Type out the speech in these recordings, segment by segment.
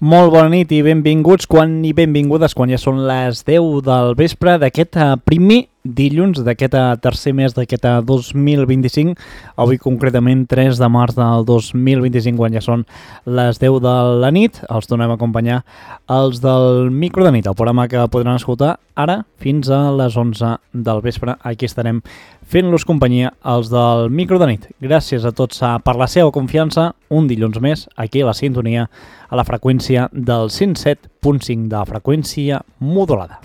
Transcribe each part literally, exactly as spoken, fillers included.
Molt bona nit i benvinguts quan i benvingudes quan ja són les deu del vespre d'aquest primer dilluns d'aquest tercer mes d'aquest dos mil vint-i-cinc, avui concretament tres de març del dos mil vint-i-cinc, quan ja són les deu de la nit. Els tornem a acompanyar els del Micro de Nit, el programa que podran escoltar ara fins a les onze del vespre. Aquí estarem fent-los companyia els del Micro de Nit. Gràcies a tots per la seva confiança, un dilluns més, aquí a la sintonia, a la freqüència del cent set punt cinc de la freqüència modulada.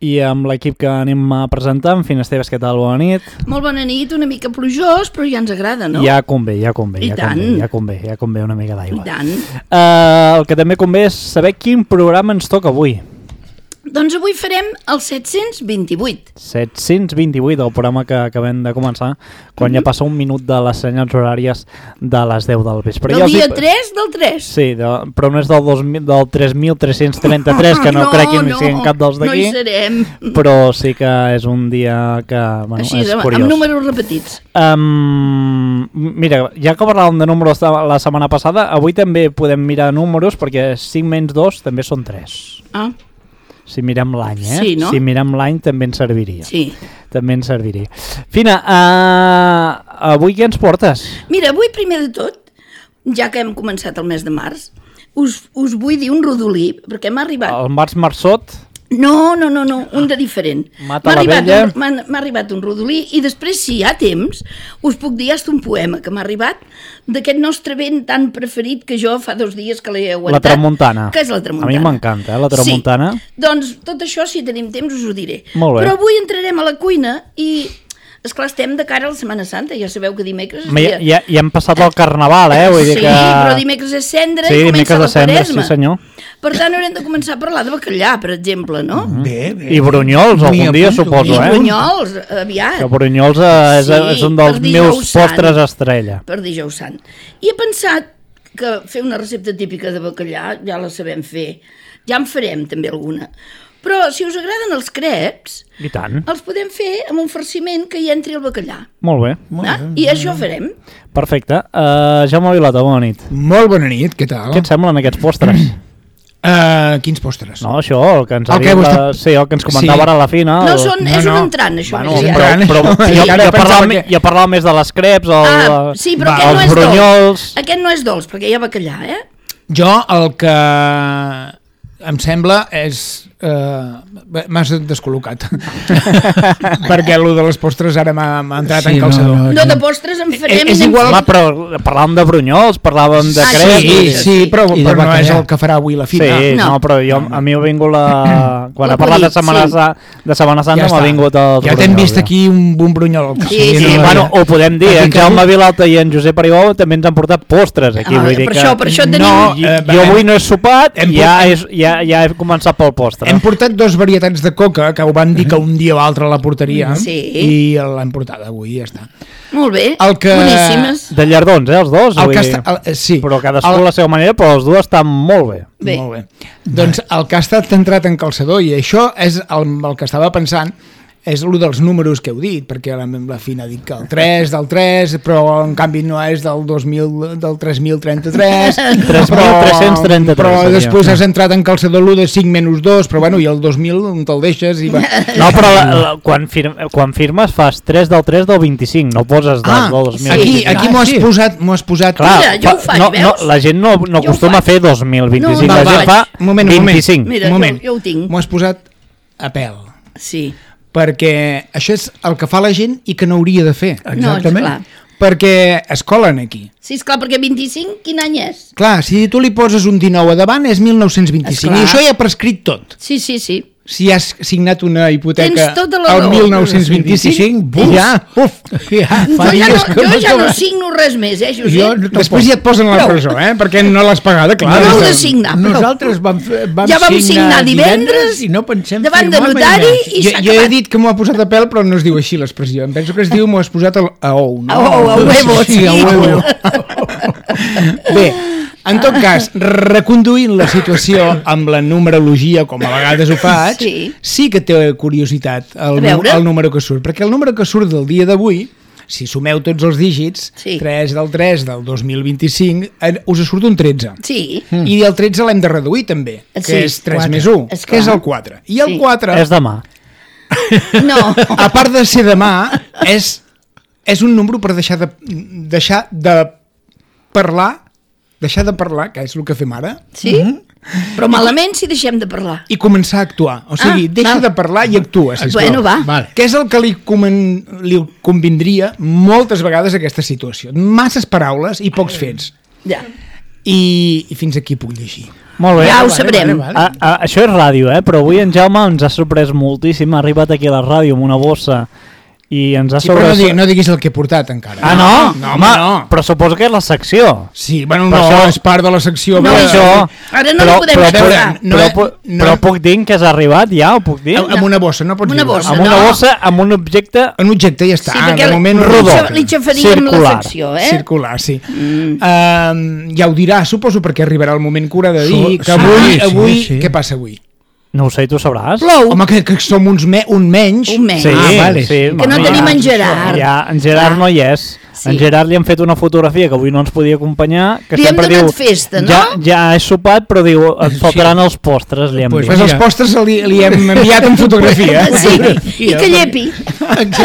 I amb l'equip que anem a presentar, en fi, Esteves, què tal? Bona nit. Molt bona nit, una mica plujós, però ja ens agrada, no? Ja convé, ja convé. I ja tant. Convé, ja convé, ja convé una mica d'aigua. I tant. Uh, el que també convé és saber quin programa ens toca avui. Doncs avui farem el set-cents vint-i-vuit. set-cents vint-i-vuit, el programa que acabem de començar, quan mm-hmm. ja passa un minut de les senyals horàries de les deu del vespre. Del dia dic... tres del tres. Sí, de... però no és del, dos mil, del tres mil tres-cents trenta-tres, que no, no crec que no siguin cap dels d'aquí. No hi serem. Però sí que és un dia que, bueno, així, és amb, curiós. amb números repetits. Um, mira, ja que parlàvem de números la setmana passada, avui també podem mirar números, perquè cinc menys dos també són tres. Ah. Si mirem l'any, eh? Sí, no? Si mirem l'any també ens serviria. Sí. També ens serviria. Fina, uh, avui què ens portes? Mira, avui primer de tot, ja que hem començat el mes de març, us, us vull dir un rodolí, perquè m'ha arribat... El Març Marçot? No, no, no, no, un de diferent. Mata m'ha la arribat vella. un, m'ha, m'ha arribat un rodolí i després, si hi ha temps, us puc dir hasta un poema que m'ha arribat d'aquest nostre vent tan preferit que jo fa dos dies que l'he aguantat. La tramuntana. Que és la tramuntana. A mi m'encanta, eh, la tramuntana. Sí, doncs tot això, si tenim temps, us ho diré. Molt bé. Però avui entrarem a la cuina i... Esclar, estem de cara a la Setmana Santa, ja sabeu que dimecres... És Ja, dia... ja, ja hem passat el Carnaval, eh? Vull dir sí, que... però dimecres és cendra sí, i comença la cendra, Quaresma. sí senyor. Per tant, haurem de començar a parlar de bacallà, per exemple, no? Mm-hmm. Bé, bé. I brunyols, algun dia, suposo, I eh? brunyols, aviat. Que brunyols eh, és, Sí, és un dels per dijous meus sant. postres estrella. Per dijous sant. I he pensat que fer una recepta típica de bacallà ja la sabem fer. Ja en farem també alguna. Però si us agraden els creps, I tant. els podem fer amb un farciment que hi entri el bacallà. Molt bé. Ah? I això farem. Perfecte. Uh, Jaume Vilata, bona nit. Molt bona nit, què tal? Què et semblen aquests postres? Uh, quins postres? No, això, el que ens, El havia, que vostè... sí, el que ens comentava Sí. ara a la fina. No, el... són, no, és no. un entrant, això. Bueno, més però, aviat. però, però jo, Encara jo, parlava, pensava que... que- jo parlava més de les creps, el, Ah, sí, però Va, aquest no els és brunyols... dolç. Aquest no és dolç, perquè hi ha bacallà, eh? Jo el que em sembla és... Uh, m'has descol·locat perquè el de les postres ara m'ha entrat sí, en calçador. No, no, no de postres en farem. És i igual- n'hem Home, però parlàvem de brunyols, parlàvem de Ah, creps... Sí, sí, sí, però, I de però no bacallà. és el que farà avui la Sí, fina. no, No. però jo, a mi m'ha vingut la... Quan La ha parlat de Codit, Setmana, sí. Sa- de Setmana Santa Ja m'ha està. vingut els Ja t'hem brunyols, vist ja. aquí un, un brunyol. Sí, Sí, sí. bueno, ho podem dir, en Aquí Jaume Vilalta i en Josep Aribó també ens han portat postres aquí, Ah, vull dir per que... això, per això tenim... No, I, eh, jo hem- avui no he sopat, hem ja, port- és, ja, ja he començat pel postre. Hem portat dos varietats de coca que ho van dir que un dia o altre la portaria Sí. i l'hem portada avui, ja està. Molt bé, El que- boníssimes. De llardons, eh, els dos? El vull que dir, està, el, sí, però cadascú el, a la seva manera, però els dos estan molt bé. Bé. Molt bé. Doncs el que ha estat entrat en calçador, i això és el, el que estava pensant, és el dels números que heu dit, perquè la, la Fina ha dit que el tres del tres, però en canvi no és del dos mil, del tres mil trenta-tres, tres mil tres-cents trenta-tres, però seria. després has entrat en calçador l'u de cinc menys dos, però bueno, i el dos mil on te'l deixes i va. No, però la, la, quan, fir, quan firmes fas tres del tres del vint-i-cinc, no poses del, Ah, del dos mil aquí, vint-i-cinc. aquí Ah, m'ho has sí. posat, m'ho has posat. Clar, Mira, jo ho faig, no, no, veus? la gent no, no Jo ho acostuma a faig. fer dos mil vint-i-cinc, No, la no, gent vaig. fa Un moment, un moment. vint-i-cinc. Mira, un moment. jo, jo ho tinc. M'ho has posat a pèl, Sí. perquè això és el que fa la gent i que no hauria de fer. No, esclar. Perquè es colen aquí. Sí, esclar, perquè vint-i-cinc, quin any és? Clar, si tu li poses un dinou a davant és mil nou-cents vint-i-cinc Esclar. i això ja ha prescrit tot. Sí, sí, sí. Si has signat una hipoteca Tens tota la al raó. mil nou-cents vint-i-cinc, buf. ja, uf, ja, Jo fa ja, dies no, que jo ja no acaba. signo res més, eh, Josep? Jo Jo, Després ja et posen a la Prou. presó, eh? Perquè no l'has pagada, clar. no heu de Des signar, prou. Nosaltres vam, fer- vam, Ja vam signar divendres i no pensem davant de firmar mai notari més. i Jo, s'ha jo he acabat. dit que m'ho ha posat a pèl, però no es diu així l'expressió. Em penso que es diu m'ho has posat a, a ou, no? A ou, a huevo, sí. a huevo. Bé, en tot cas, reconduint la situació amb la numerologia, com a vegades ho faig, Sí. sí que té curiositat el, A veure. el número que surt, perquè el número que surt del dia d'avui si sumeu tots els dígits, Sí. tres del tres del dos mil vint-i-cinc, eh, us surt un tretze. Sí. Mm. I el tretze l'hem de reduir també, que Sí. és tres Quatre. més un, És que és clar. el quatre. I el Sí. quatre, És demà. No. a part de ser demà, és, és un número per deixar de, deixar de parlar, deixar de parlar, que és el que fem ara, Sí? Però malament si deixem de parlar. i començar a actuar. O sigui, Ah, deixa val. de parlar i actua, sisplau. Bueno, va. Vale. Què és el que li, comen, li convindria moltes vegades a aquesta situació? Masses paraules i pocs fets. Ja. I, i fins aquí puc llegir. Molt bé. Ja ho vale, sabrem. vale, vale. A, a, això és ràdio, eh? Però avui en Jaume ens ha sorprès moltíssim. Ha arribat aquí a la ràdio amb una bossa i ens ha Sí, però sobre... no, diguis, no diguis el que he portat encara. Ah, no? No, home, no. Però suposo que és la secció. Sí, bueno, Per no, això- és part de la secció. No, però- això... Ara no però, li podem però, explicar. però, No, però, eh, pu- no, però eh. puc dir que has arribat ja? Ho puc dir? Amb, amb una bossa, no pots Amb una dir-ho. bossa. Amb una no. bossa, amb un objecte... Un objecte i ja està. Sí, perquè de moment li, rodó. li, li xafaríem la Circular. secció, eh? Circular, sí. Mm. Uh, ja ho dirà, suposo, perquè arribarà el moment que haurà de dir Sí, que avui, sí, sí, avui sí. què passa avui? No ho sé, tu sabràs? Plou. Home, que, que som uns me, un menys. Un menys. Sí, Ah, vale. sí. Que no mami, tenim ja. en Gerard. Ja, en Gerard no hi és. Sí. En Gerard li han fet una fotografia que avui no ens podia acompanyar, que Li hem sempre donat diu... festa, no? Ja, ja he sopat, però diu, et faltaran els postres, li hem Pues dit. Pues els Mira. postres li, li hem enviat en fotografia. Sí, i que llepi.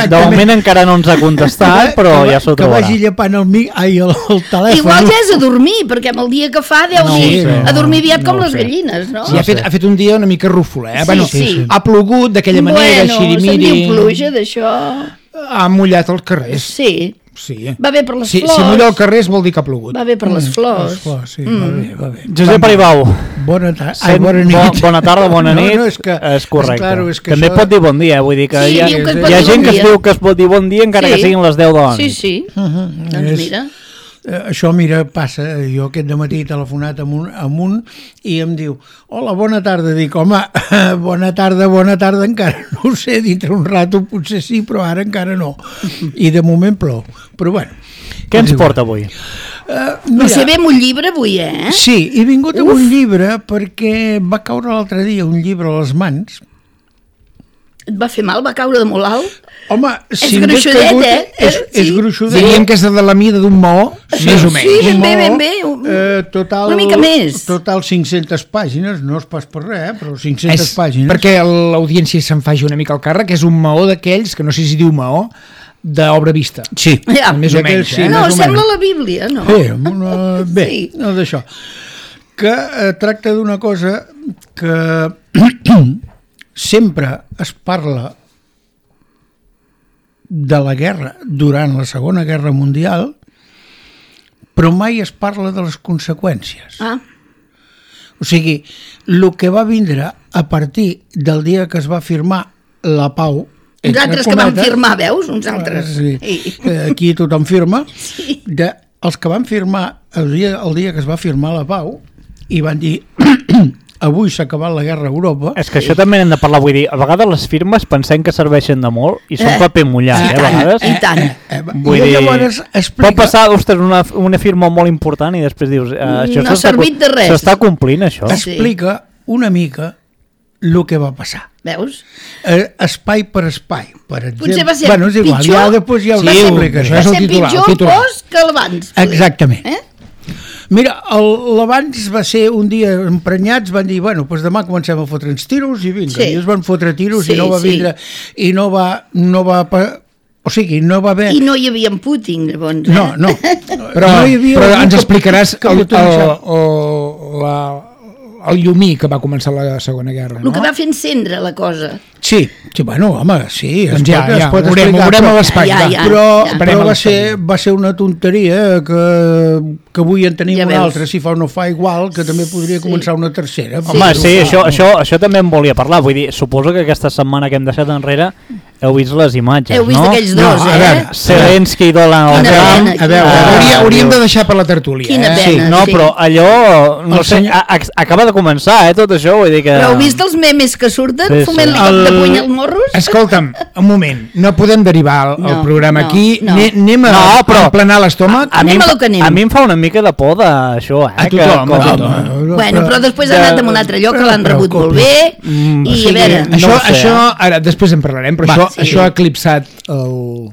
De moment encara no ens ha contestat, però que, ja s'ho que trobarà. vagi llepant el, mi, ai, el, el telèfon. Igual ja és a dormir, perquè amb el dia que fa deu No ho dir sé. a dormir aviat No com ho les sé. gallines, no? Sí, ha, fet, ha fet un dia una mica rúfol, eh? Sí, bueno, sí. Ha plogut d'aquella manera, bueno, se'n xirimiri. diu pluja d'això. Ha mullat els carrers. Sí, Sí. va bé per les Si, flors. si mulla el carrer vol dir que ha plogut. Va bé per les flors. Les flors, sí, va bé, va bé. Josep Aribau, Bona tarda. Ai, sent, bona bo, nit. bona tarda, bona No, nit, no, és que- és correcte. és claro, és que També això- pot dir bon dia, vull dir que Sí, hi ha, diu que es hi pot ha dir gent bon que es dia. diu que es pot dir bon dia encara Sí. que siguin les deu de la Sí, nit. sí. Uh-huh. Doncs És- mira. Eh, això, mira, passa, jo aquest dematí he telefonat amb un, amb un i em diu, hola, bona tarda. Dic, home, bona tarda, bona tarda, encara no ho sé, dintre un rato potser sí, però ara encara no. I de moment plou. Però bueno. Què ens és igual. porta avui? Uh, No sé bé amb un llibre avui, eh? Sí, he vingut amb un llibre perquè va caure l'altre dia un llibre a les mans. Et va fer mal? Va caure de molt alt? Home, si m'he gruixudet, caigut, eh? És, és Sí. gruixudet. Diríem que és de la mida d'un maó, més o menys. Sí, ben bé, No, ben bé. Un- Eh, total, una mica més. Total cinc-centes pàgines, no és pas per res, eh, però cinc-centes És pàgines. perquè l'audiència se'n faci una mica al càrrec, és un maó d'aquells, que no sé si diu maó, d'obra vista. Sí, Ja. Més o D'aquells menys, sí, eh? No, més o sembla menys. la Bíblia, no? Bé, una, bé Sí. no d'això. Que eh, tracta d'una cosa que sempre es parla de la guerra durant la Segona Guerra Mundial, però mai es parla de les conseqüències. Ah, O sigui, el que va vindre a partir del dia que es va firmar la pau... uns entre altres que van cometes, firmar, veus? Uns altres. Sí. I- Eh, Aquí tothom firma. Sí. De, els que van firmar el dia, el dia que es va firmar la pau i van dir avui s'ha acabat la guerra a Europa. És que això també n'hem de parlar, vull dir, a vegades les firmes pensem que serveixen de molt i són Eh, paper mullat, i eh, a tant, vegades. i tant. Eh, Vull I dir, llavors explica... pot passar, ostres, una, una firma molt important i després dius... Eh, això No ha s'està servit co- de res. S'està complint, això. Sí. explica una mica el que va passar. Veus? Eh, espai per espai, per exemple. Potser va ser bueno, és igual, pitjor, ja després ja ho va ser, explicaré. això va és el ser titular, el pitjor titular. post que l'abans. poder. Exactament. Eh? Mira, el- l'abans va ser un dia emprenyats, van dir, bueno, doncs demà comencem a fotre'ns tiros i vinga, Sí. i es van fotre tiros Sí, i no va sí. vindre, i no va, no va, pa- o sigui, no va haver... I no hi havia en Putin, llavors. Eh? No, no. Però, no hi havia però algú ens que- explicaràs que el, el, botonejava. el, la, el llumí que va començar la Segona Guerra, El no? que va fer encendre la cosa. Sí, sí, bueno, home, sí, es Doncs ja, pot, es ja, pot ho veurem, explicar, ho veurem però- a l'espai. Ja, va. ja. però, ja. però Esperem a va, l'espai. ser, va ser una tonteria que, que avui en tenim Ja una veus. altra, si fa o no fa igual, que també podria Sí. començar una tercera. Home, Sí. sí, això, això, això també em volia parlar. Vull dir, suposo que aquesta setmana que hem deixat enrere heu vist les imatges, Heu vist no? aquells No, dos, a eh? veure, Zelensky i Donald Quina Trump. pena, A veure, Ah, hauria, hauríem diu- de deixar per la tertúlia. Quina eh? pena. Sí, no, sí. però allò, no El sé, senyor- a, a, acaba de començar, eh, tot això, vull dir que... Però heu vist els memes que surten Sí, sí. fumant-li cop de El- puny als morros? Escolta'm, un moment, no podem derivar el, el No, programa no, aquí, no. Ne- anem a, No, però- a emplenar l'estómac. A mi, Anem em a fa- lo que anem. a mi em fa una mica de por d'això, eh? A tothom, que, a com- tothom. Bueno, però després ha de- anat a un altre lloc que l'han però rebut molt bé Mm, i o a sigui, veure... no Això, ho sé, això eh? ara, després en parlarem, però Va, això, sí. això ha eclipsat el...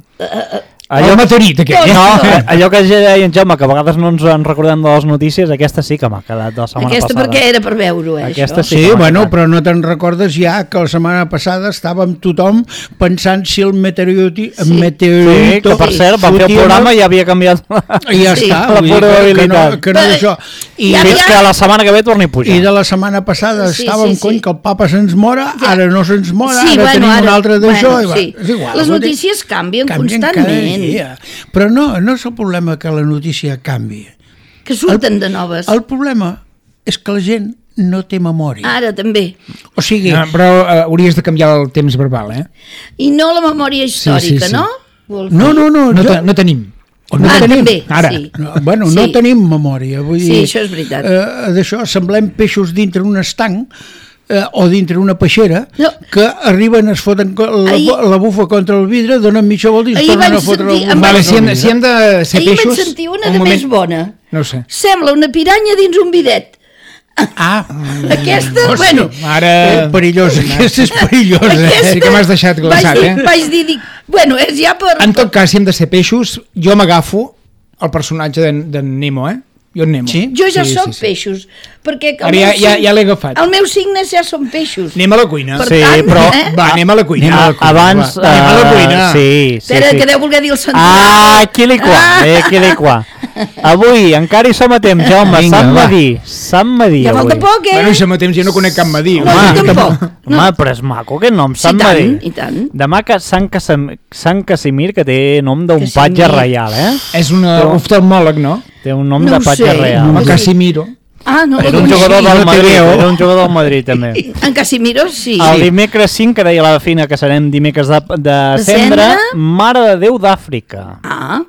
Allò, el meteorit, aquell. no, allò que ja deia en Jaume, que a vegades no ens en recordem de les notícies, aquesta sí que m'ha quedat de la setmana Aquesta passada. perquè era per veure-ho, eh, Aquesta això. sí Sí, que m'ha bueno, quedat. però no te'n recordes ja que la setmana passada estàvem tothom pensant si el meteoriti, Sí. Sí, meteorito... que per cert, vam fer el fotia programa i ja havia canviat I ja Sí. està, la vull dir que, que probabilitat. no, que no Però- d'això. I, Ja, Fins ja. que la setmana que ve torni a pujar. I de la setmana passada Sí, estàvem, sí, cony, sí. que el papa se'ns mora, Ja. ara no se'ns mora, Sí, ara bueno, tenim ara- un altre d'això. bueno, i va, sí. és igual. Les vull dir, notícies canvien canvien constantment. cada dia. Però no, no és el problema que la notícia canvi. Que surten de noves. El problema és que la gent no té memòria. Ara també. O sigui, No, però uh, hauries de canviar el temps verbal, eh? I no la memòria històrica, Sí, sí, sí. no? Vols no, dir? no, no, No, jo- te, no tenim. o no Ah, tenim. també, ara. sí. No, bueno, Sí. no tenim memòria. Vull Sí, dir, això és veritat. Eh, D'això, semblem peixos dintre un estanc eh, o dintre una peixera No. que arriben, es foten co- la, Ahir- la bufa contra el vidre, donen mitja volta i es Ahir tornen vaig a fotre sentir- la em bufa Vale, vaig- si contra hem, el de- si vidre. hem de ser Ahir peixos... vaig sentir una un de moment. més bona. No ho sé. Sembla una piranya dins un bidet. Ah, Aquesta, hòstia, bueno, Ara... eh, perillosa, aquesta és perillosa. aquesta... Sí que m'has deixat glaçat, vaig dir, eh? Vaig dir, dic, bueno, és ja per... En tot cas, si hem de ser peixos, jo m'agafo el personatge d'en d'en Nemo, eh? Jo en Nemo. Sí? Jo ja Sí, soc sí, sí. peixos, perquè... el Ara ja- meu ja- sign- ja l'he agafat. El meu signe ja són peixos. Anem a la cuina. Per Sí, tant, però- eh? Va, anem a la cuina. Ah, abans... Va, anem a la eh, cuina. Sí, sí, Espera, sí. que deu voler dir el central. Ah, aquí li qua, Ah. eh, aquí li qua. Avui encara hi som a temps, Jaume, Vinga, Sant va. Madí, Sant Madí Ja falta avui. poc, eh? Bueno, i si mateix jo no conec cap Madí. No, jo tampoc. Home, però és maco aquest nom, Sí, Sant i tant, Madí. i tant. Demà que Sant, Casam... Sant Casimir, que té nom d'un Casimir. patge reial, eh? És un oftalmòleg, no? Té un nom No de ho patge sé. reial. Home, Sí. Casimiro. Ah, no. Era un doncs jugador sí. del no té Madrid, veu. era un jugador del Madrid, també. En Casimiro, sí. El dimecres cinc, que deia la Fina que serem dimecres de, de, De cendre, cendre? Mare de Déu d'Àfrica. Ah,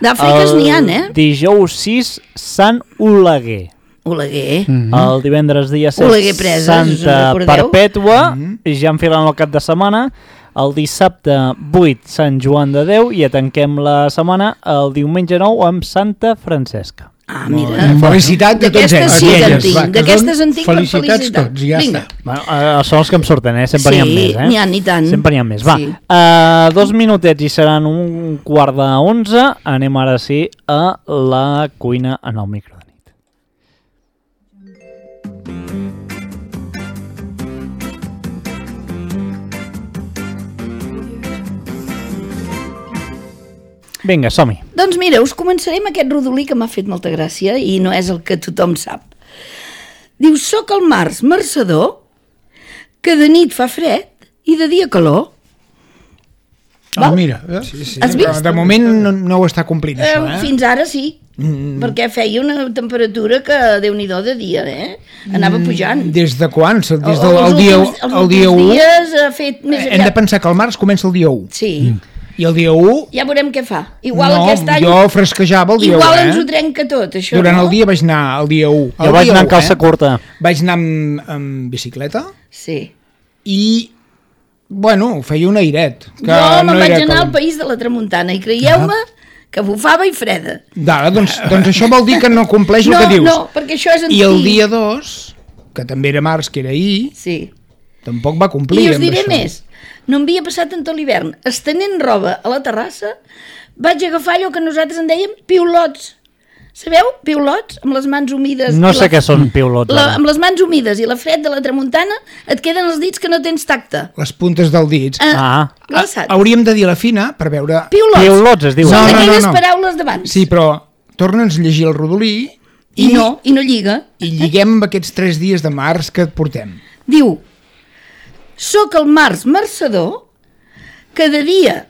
d'Àfriques n'hi ha, eh? Dijous sis, Sant Oleguer. Oleguer. Mm. El divendres dia set, Oleguer Preses, us en Santa recordeu? Perpètua, ja enfilant el cap de setmana. El dissabte vuit, Sant Joan de Déu, i ja tanquem la setmana el diumenge nou amb Santa Francesca. Ah, mira. Felicitat de tots D'aquestes ells. sí que en Aquelles, tinc. va, que D'aquestes són en tinc per felicitats felicitat. tots, ja Vinga. està. Bueno, eh, són els que em surten, eh? Sempre n'hi ha Sí, més, eh? n'hi ha, i tant. Sempre n'hi ha més. Va, Sí. uh, dos minutets i seran un quart de onze. Anem ara sí a la cuina en el micro de nit. Vinga, som-hi. Doncs mira, us començaré amb aquest rodolí que m'ha fet molta gràcia i no és el que tothom sap. Diu, soc el març marçador, que de nit fa fred i de dia calor. Ah, mira, eh? Sí, sí, Has però vist? de moment no, no ho està complint, Eh, això, eh? fins ara sí, mm. perquè feia una temperatura que, Déu-n'hi-do de dia, eh? Anava pujant. Des de quan? Des del Els el dia, últims- els el dia últims u? dies ha fet més Hem de aviat. pensar que el març comença el dia u. Sí, I el dia u... ja veurem què fa. Igual no, aquest any... jo fresquejava el dia Igual u, ens ho eh? trenca tot, això, Durant no? el dia vaig anar el dia u. Jo vaig anar en calça curta. Vaig anar amb, amb bicicleta Sí. i, bueno, feia un airet. Que Jo me'n no vaig era anar al calent. país de la Tramuntana i creieu-me que bufava i freda. Dale, doncs, doncs això vol dir que no compleix el No, que dius. no, perquè això és antic. I el dia dos, que també era març, que era ahir, Sí. tampoc va complir I us amb diré això. més. No em havia passat en tot l'hivern. Estenent roba a la terrassa, vaig agafar allò que nosaltres en dèiem piulots. Sabeu? Piulots, amb les mans humides. No i sé la- què són piulots. La, ara. amb les mans humides i la fred de la tramuntana et queden els dits que no tens tacte. Les puntes dels dits. Ah, Glaçats. Hauríem de dir a la fina per veure... Piulots. piulots es diu. No, Són no, aquelles no. paraules d'abans. Sí, però torna'ns a llegir el rodolí I no, i no lliga. i lliguem amb aquests tres dies de març que et portem. Diu, soc el març marçador, que de dia...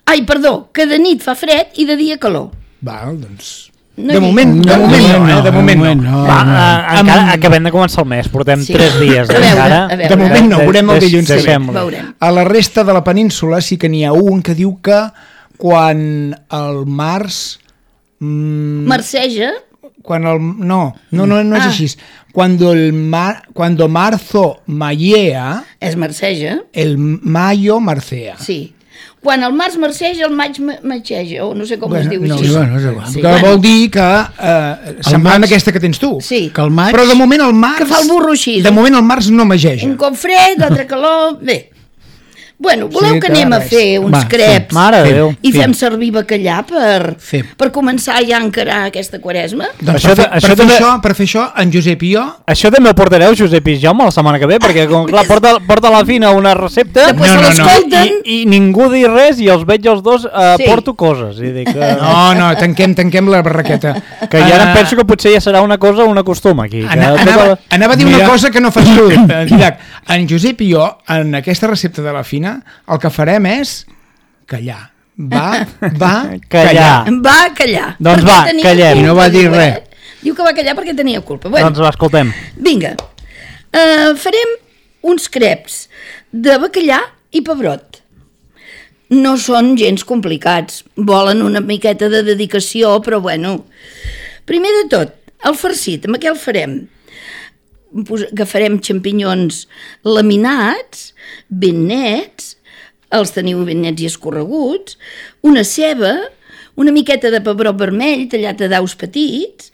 Ai, perdó, que de nit fa fred i de dia calor. Val, doncs... No de hi- moment, de no, moment no, no, eh? De moment no. no. Va, uh, encara Amb- acabem de començar el mes, portem Sí. tres dies. A veure, encara. a veure. De moment no, veurem el Des- dilluns que ve. deixem-lo. Veurem. A la resta de la península sí que n'hi ha un que diu que quan el març... Mm, Marceja, quan el, no, no, no, no és Ah. així. Cuando, el mar, cuando marzo mayea, és marceja, el mayo marcea. sí. Quan el març marceja, el maig ma- matxeja, o no sé com Bueno, es diu no, així. sí, bueno, és igual. Que bueno. vol dir que eh, semblant maig- a aquesta que tens tu. Sí, Que el maig... Però de moment el març... que fa el burro així. De moment el març no mageja. Un cop fred, altre calor... Bé, Bueno, voleu Sí, que que anem a res. fer uns Va, creps Mare de Déu. i fem servir bacallà per, Fem. per començar ja a encarar aquesta quaresma? Doncs Això per, fer, de- això per, fer també- això, per fer això, en Josep i jo... Això també ho portareu, Josep i Jaume, la setmana que ve, perquè com clar, porta, porta a la fina una recepta Després No, se no, no. l'escolten. i, i ningú dir res i els veig els dos eh, Sí. porto coses. I dic, que, No, no, tanquem, tanquem la barraqueta. que ja ara Ah, penso que potser ja serà una cosa, una costum aquí. Que Ana, tota anava, la- anava a dir Mira. una cosa que no fas tu, eh, Didac. En Josep i jo, en aquesta recepta de la fina, el que farem és callar. Va, va, Callar. callar. Va callar. Doncs perquè va, tenia callem. culpa, I no va dir diu, res. eh? Diu que va callar perquè tenia culpa. Bueno, Doncs va, escoltem. vinga. Uh, farem uns creps de bacallà i pebrot. No són gens complicats. Volen una miqueta de dedicació, però bueno. Primer de tot, el farcit, amb què el farem? Pos- Agafarem xampinyons laminats, ben nets, els teniu ben nets i escorreguts, una ceba, una miqueta de pebrot vermell tallat a daus petits,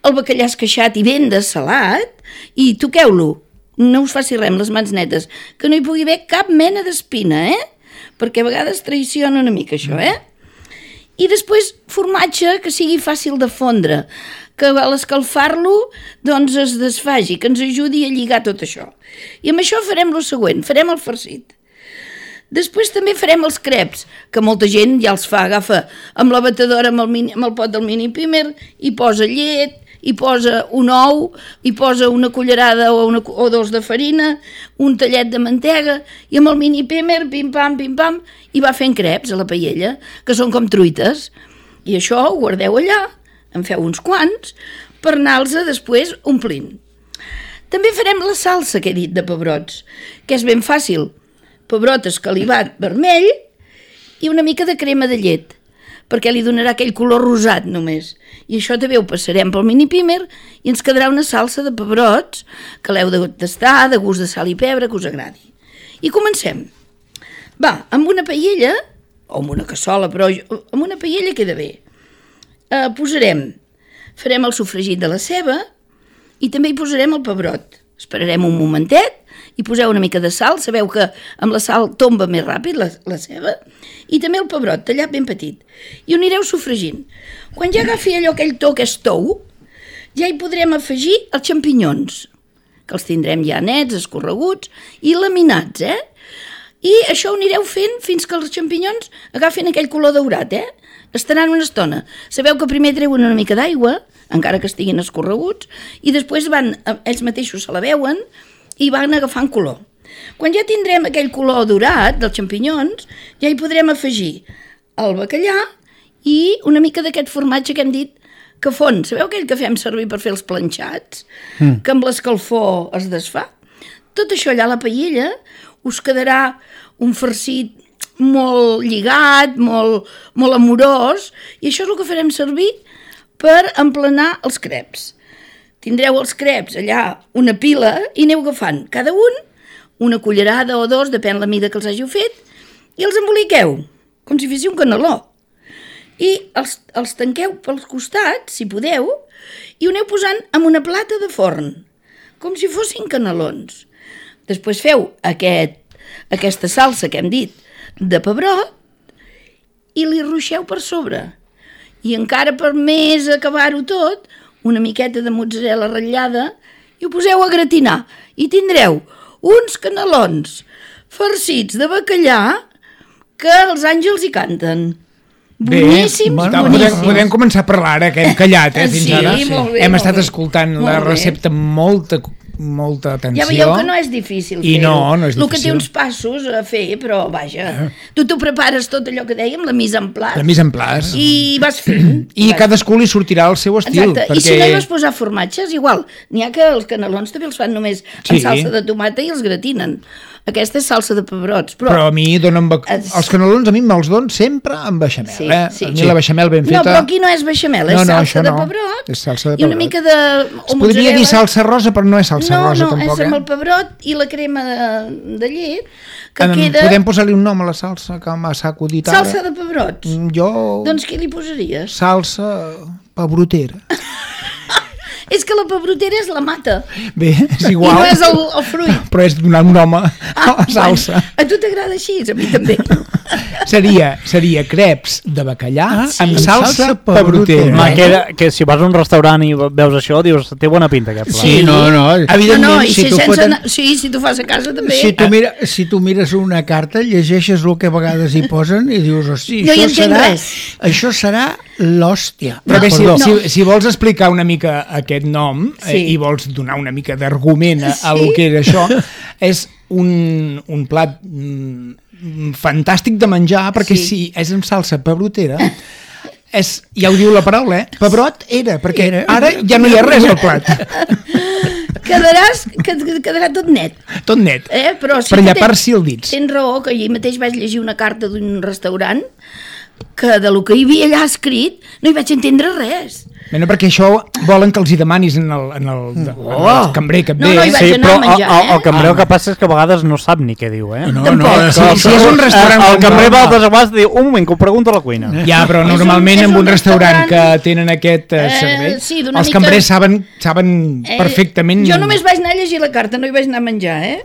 el bacallà esqueixat i ben dessalat, i toqueu-lo. No us faci res amb les mans netes, que no hi pugui haver cap mena d'espina, eh? Perquè a vegades traiciona una mica això, eh? I després formatge que sigui fàcil de fondre, que a l'escalfar-lo doncs es desfagi, que ens ajudi a lligar tot això. I amb això farem lo següent, farem el farcit. Després també farem els creps, que molta gent ja els fa, agafa amb la batedora, amb el, mini, amb el pot del mini pimer, i posa llet, hi posa un ou, hi posa una cullerada o, una, o dos de farina, un tallet de mantega, i amb el mini pimer, pim-pam, pim-pam, i va fent creps a la paella, que són com truites. I això ho guardeu allà, en feu uns quants, per anar-los després omplint. També farem la salsa que he dit de pebrots, que és ben fàcil. Pebrot escalivat vermell i una mica de crema de llet, perquè li donarà aquell color rosat només. I això també ho passarem pel mini pimer i ens quedarà una salsa de pebrots que l'heu de tastar, de gust de sal i pebre, que us agradi. I comencem. Va, amb una paella, o amb una cassola, però jo- amb una paella queda bé. Eh, posarem, farem el sofregit de la ceba i també hi posarem el pebrot. Esperarem un momentet i poseu una mica de sal, sabeu que amb la sal tomba més ràpid la, la ceba, i també el pebrot tallat ben petit. I ho anireu sofregint. Quan ja agafi allò aquell to que és tou, ja hi podrem afegir els xampinyons, que els tindrem ja nets, escorreguts i laminats, eh? I això ho anireu fent fins que els xampinyons agafin aquell color daurat, eh? Estaran una estona. Sabeu que primer treuen una mica d'aigua, encara que estiguin escorreguts, i després van, ells mateixos se la veuen i van agafant color. Quan ja tindrem aquell color daurat dels xampinyons, ja hi podrem afegir el bacallà i una mica d'aquest formatge que hem dit que fon. Sabeu aquell que fem servir per fer els planxats? Mm. Que amb l'escalfor es desfà? Tot això allà a la paella us quedarà un farcit molt lligat, molt, molt amorós, i això és el que farem servir per emplenar els creps. Tindreu els creps allà una pila i aneu agafant cada un una cullerada o dos, depèn la mida que els hàgiu fet, i els emboliqueu, com si féssiu un caneló. I els, els tanqueu pels costats, si podeu, i ho aneu posant en una plata de forn, com si fossin canelons. Després feu aquest, aquesta salsa que hem dit de pebrot i li ruixeu per sobre. I encara per més acabar-ho tot, una miqueta de mozzarella ratllada i ho poseu a gratinar. I tindreu uns canelons farcits de bacallà que els àngels hi canten. Bé, Boníssims, està, boníssims. podem, podem començar a parlar ara, que hem callat, eh, fins Sí, ara. molt bé, hem molt estat bé. escoltant Molt la bé. recepta amb molta, molta atenció. Ja veieu que no és difícil I fer-ho. no, no és El que té difícil. uns passos a fer, però vaja, tu t'ho prepares tot allò que dèiem, la mise en place, La mise en place. i vas fent. I vas cadascú li sortirà el seu estil. Exacte, perquè... i si no hi vas posar formatge, és igual. N'hi ha que els canelons també els fan només Sí. amb salsa de tomata i els gratinen. Aquesta és salsa de pebrots, però... Però a mi donen... Ba... Es- Els canelons a mi me'ls donen sempre amb beixamel, Sí, eh? sí. A mi la beixamel ben feta... No, però aquí no és beixamel, és No, no, salsa això de no. pebrot És salsa de i una pebrot. mica de... Es podria dir salsa rosa, però no és salsa no, rosa no, tampoc, és amb eh? el pebrot i la crema de, de llet, que Em, queda Podem posar-li un nom a la salsa que m'ha acudit ara? salsa de pebrots. Mm, Jo... Doncs què li posaries? Salsa pebrotera. És que la pebrotera és la mata. Bé, és I igual. no és el, el fruit. Però és donar un nom a Ah, la salsa. Bueno, a tu t'agrada així, a mi també. Seria, seria creps de bacallà Ah, sí. amb Amb salsa salsa pebrotera. pebrotera. Ma, que, que si vas a un restaurant i veus això, dius, té bona pinta aquest plat. Sí, no, no. Evidentment, no, no, i si si, tu sense foten- anar, sí, si tu fas a casa també. Si tu, mira, si tu mires una carta, llegeixes el que a vegades hi posen i dius, hosti, No hi això, entenc serà, res. això serà l'hòstia. Però bé, si, Perdó. si, si vols explicar una mica aquest nom Sí. eh, i vols donar una mica d'argument a, a Sí. lo que era això, és un, un plat mm, fantàstic de menjar, perquè Sí. si és amb salsa pebrotera, és, ja ho diu la paraula, eh? Pebrot era, perquè Era. ara ja no hi ha res al plat. Quedaràs, qued- quedarà tot net. Tot net. Eh? Però sí Per que llapar-s'hi els dits. Tens raó, que ahir mateix vaig llegir una carta d'un restaurant que de lo que hi havia allà escrit no hi vaig entendre res. Bé, no, perquè això volen que els hi demanis en el, en el, en el cambrer que et No, ve. no, hi vaig Sí, anar però a menjar, el, el, el eh? cambrer el que passa és que a vegades no sap ni què diu, eh? No, Tampoc. no, Si, si és un restaurant... El, el cambrer va normal- altres vegades i diu, un moment, que ho pregunto a la cuina. Ja, però És un- normalment és en un un restaurant que restaurant, tenen aquest eh, eh, servei, sí, d'una els mica- cambrers saben, saben Eh, perfectament... Jo només vaig anar a llegir la carta, no hi vaig anar a menjar, eh?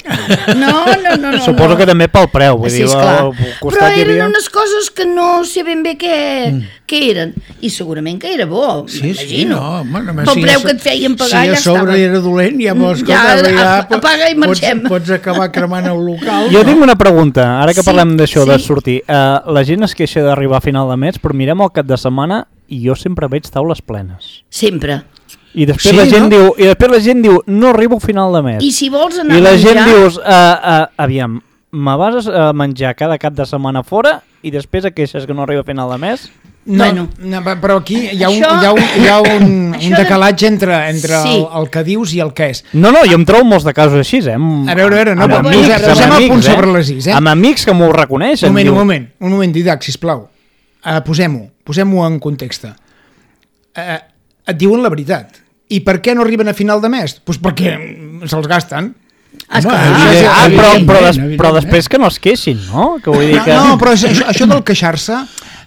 No, no, no. no Suposo no. que també pel preu, vull Sí, dir, esclar. al Però costat hi eren havia... unes coses que no sé ben bé què, mm. què eren. I segurament que era bo, Sí, sí, m'imagino. no. Home, només Pel si preu ja- que et feien pagar, si ja a sobre estava. era dolent, ja vols Ja, escoltar, ja, ap- apaga i marxem. Pots, pots acabar cremant el local. Jo no? tinc una pregunta, ara que Sí, parlem d'això, sí. de sortir. Uh, la gent es queixa d'arribar a final de mes, però mirem el cap de setmana i jo sempre veig taules plenes. Sempre. I després, Sí, la gent no? diu, I després la gent diu, no arribo a final de mes. I si vols anar I la a menjar... gent dius, uh, uh, aviam, me vas a menjar cada cap de setmana fora i després et queixes que no arriba a final de mes? No, Bueno. no, però aquí hi ha un, Això- hi ha un, hi ha un, Això un de- decalatge entre, entre Sí. el, el que dius i el que és. No, no, jo em trobo molts de casos així, eh? Amb, A veure, a veure, no, amb però amics, posem- amb posem el amics, punt eh? sobre les is, eh? Amb amics que m'ho reconeixen. Un moment, diu, un moment, un moment, Didac, sisplau. Uh, posem-ho, posem-ho en context. Uh, et diuen la veritat. I per què no arriben a final de mes? Doncs pues perquè se'ls gasten. Esclar. Home, Ah, evident- però, però, evidentment, des, però evidentment. després que no es queixin, no? Que vull dir No, que... no però això, això del queixar-se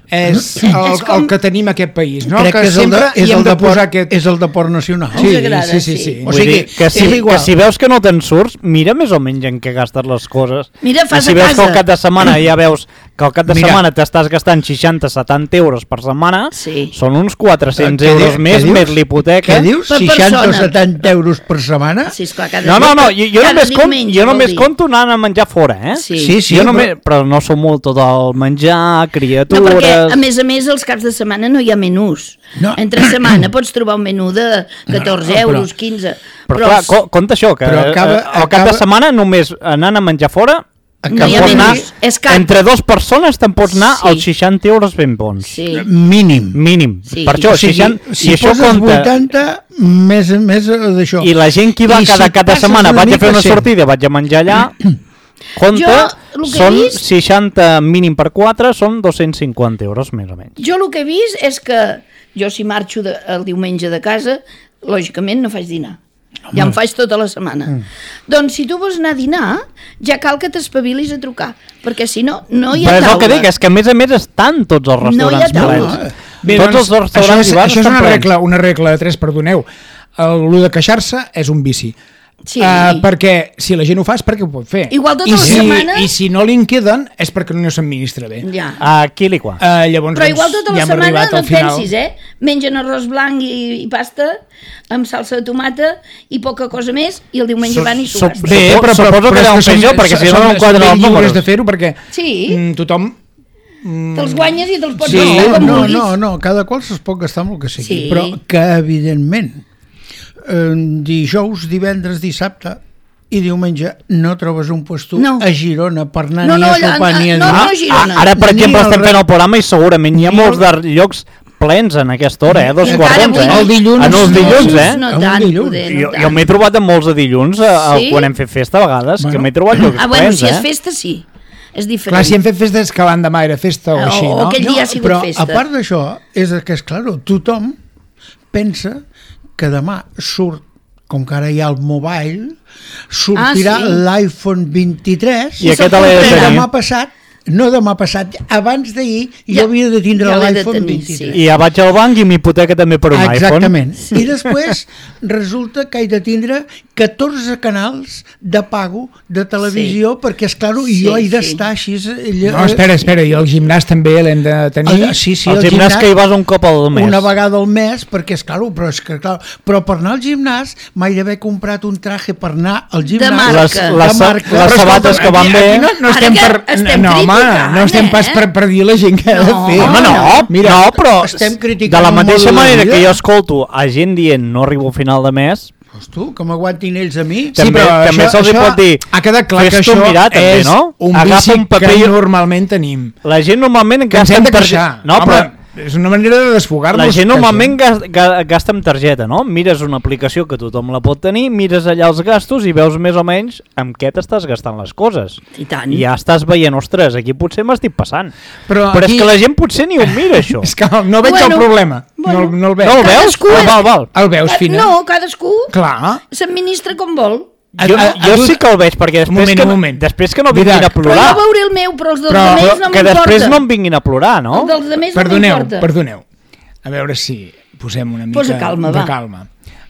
és el, És com- el que tenim a aquest país, no? Crec que, és el de, sempre és hi hem el de de, posar por, aquest... és el de port nacional. Sí, Ens agrada, sí, sí, sí. sí. O Vull sigui, dir que si, és que igual. si veus que no te'n surts, mira més o menys en què gastes les coses. Mira, fas I si a veus casa. que al cap de setmana ja veus que al cap de Mira. setmana t'estàs gastant seixanta setanta euros per setmana, Sí. són uns quatre-cents Què euros di- més, què dius? més l'hipoteca. Què dius? Per seixanta o persona. setanta euros per setmana? Sí, esclar, cada No, no, no, dia- jo, jo cada només, compto, diumenge, jo vol només dir. compto anant a menjar fora, eh? Sí. Sí, sí, jo però- només, però no som molt tot el menjar, No, criatures... perquè a més a més els caps de setmana no hi ha menús. No. Entre setmana pots trobar un menú de catorze No, no, però- euros, quinze. Però, clar, els- co compte això, que Però acaba- eh, al cap de acaba- setmana només anant a menjar fora No te'n hi ha pots anar, menús, és car. entre dues persones te'n pots anar Sí. als seixanta euros ben bons. Sí. Mínim. Mínim. Sí. Per això, O sigui, seixanta, si i això poses compta... vuitanta, més, més d'això. I la gent que va I cada si cap de passes setmana, una vaig a fer mica, una sí. sortida, vaig a menjar allà, compte, Jo, el que he són vist- seixanta mínim per quatre, són dos-cents cinquanta euros més o menys. Jo el que he vist és que jo si marxo de, el diumenge de casa, lògicament no faig dinar. Ja em faig tota la setmana. Mm. Doncs si tu vols anar a dinar, ja cal que t'espavilis a trucar, perquè si no, no hi ha Però és el taula. que dic, és que a més a més estan tots els No hi ha restaurants taula. plens. Bé, Tots doncs, els restaurants això és, i bars això és estan una plens. regla, una regla de tres, perdoneu. El, lo de queixar-se és un vici. Sí. Uh, perquè si la gent ho fa és perquè ho pot fer. Igual tota I la si, setmana- I si no li en queden és perquè no s'administra bé. Ja. Aquí li qua. Uh, llavors, Però igual doncs, tota la ja hem setmana arribat no al et final. pensis, eh? Mengen arròs blanc i, i pasta amb salsa de tomata i poca cosa més i el diumenge van i s'ho so- gasten. Bé, Supo- però, però, suposo però que és era un som- pitjor, perquè si no, som- no em quadren som els ben lliures números. de fer-ho perquè Sí. mm, tothom... Te'ls guanyes i te'ls pots Sí, gastar com no, vulguis. no, no, cada qual es pot gastar amb el que sigui, Sí. però que evidentment eh, dijous, divendres, dissabte i diumenge no trobes un puesto No. a Girona per anar No, ni no, a allà- sopar ni a no, dinar. no, Girona. Ah, ara, per Ni exemple, el estem re- fent el programa i segurament hi ha Ni molts el- de llocs plens en aquesta hora, eh? Dos I quarts encara d'onze, avui- eh? El dilluns- En els dilluns, eh? No En un tant, dilluns. poder, no Jo, tant. jo m'he trobat amb molts de dilluns eh, Sí? quan hem fet festa a vegades, Bueno. que m'he trobat llocs Ah, bueno, plens, si és eh? festa, sí. És diferent. Clar, si hem fet festes que l'endemà era festa o O- així, o no? aquell dia ha sigut però festa. a part d'això, és que és clar, tothom pensa que demà surt, com que ara hi ha el mobile, sortirà Ah, sí. l'iPhone vint-i-tres I aquest l'he de i tenir. demà passat no demà passat, abans d'ahir Ja- jo havia de tindre ja l'he de l'iPhone tenir, vint-i-tres. sí. I ja vaig al banc i m'hipoteca també per un Exactament. iPhone. I després resulta que he de tindre catorze canals de pago de televisió, Sí. perquè, és clar, Sí, jo he sí. d'estar així... allò- No, espera, espera, i el gimnàs també l'hem de tenir. Ah, sí, sí, Al el gimnàs que hi vas un cop al mes. una vegada al mes, perquè és clar, però, és que, clar, però per anar al gimnàs m'he d'haver comprat un traje per anar al gimnàs. marca. Les, De les, marca. les Però sabates escolta, que van aquí- bé... aquí No, no Ara estem que per... estem no, home, criticant, no estem eh? pas per, per dir la gent que ha de No. fer. Home, no, Mira, no, però estem criticant de la un mateixa model de manera vida. que jo escolto a gent dient no arribo a final de mes, Pues tu, que m'aguantin ells a mi. Sí, també, però també això- se'ls hi això pot dir ha quedat clar que fes-t'ho això mirar, també, és no? un Agafa vici un paper que i- normalment tenim. La gent normalment Que ens gasta hem de amb targeta... queixar. No, Home, però és una manera de desfogar-nos. la gent que normalment això- gas- ga- gasta amb targeta, no? Mires una aplicació que tothom la pot tenir, mires allà els gastos i veus més o menys amb què t'estàs gastant les coses. I tant. I ja estàs veient, ostres, aquí potser m'estic passant. Però Però aquí- és que la gent potser ni ho mira, això. És que no veig Bueno, el problema. bueno. no, no el veig. No el veus? Cadascú Ah, és- val, val. El veus, Fina? No, cadascú Clar. s'administra com vol. Jo, A- a- jo a tu- sí que el veig, perquè després, Un moment, que, un no, moment. després que no vinguin Didac. a Però plorar. jo veuré el meu, però els dels Però- altres Però no que m'importa. després no em vinguin a plorar, no? Els dels altres Perdoneu, no m'importa. perdoneu. A veure si posem una mica Posa calma, de va. calma.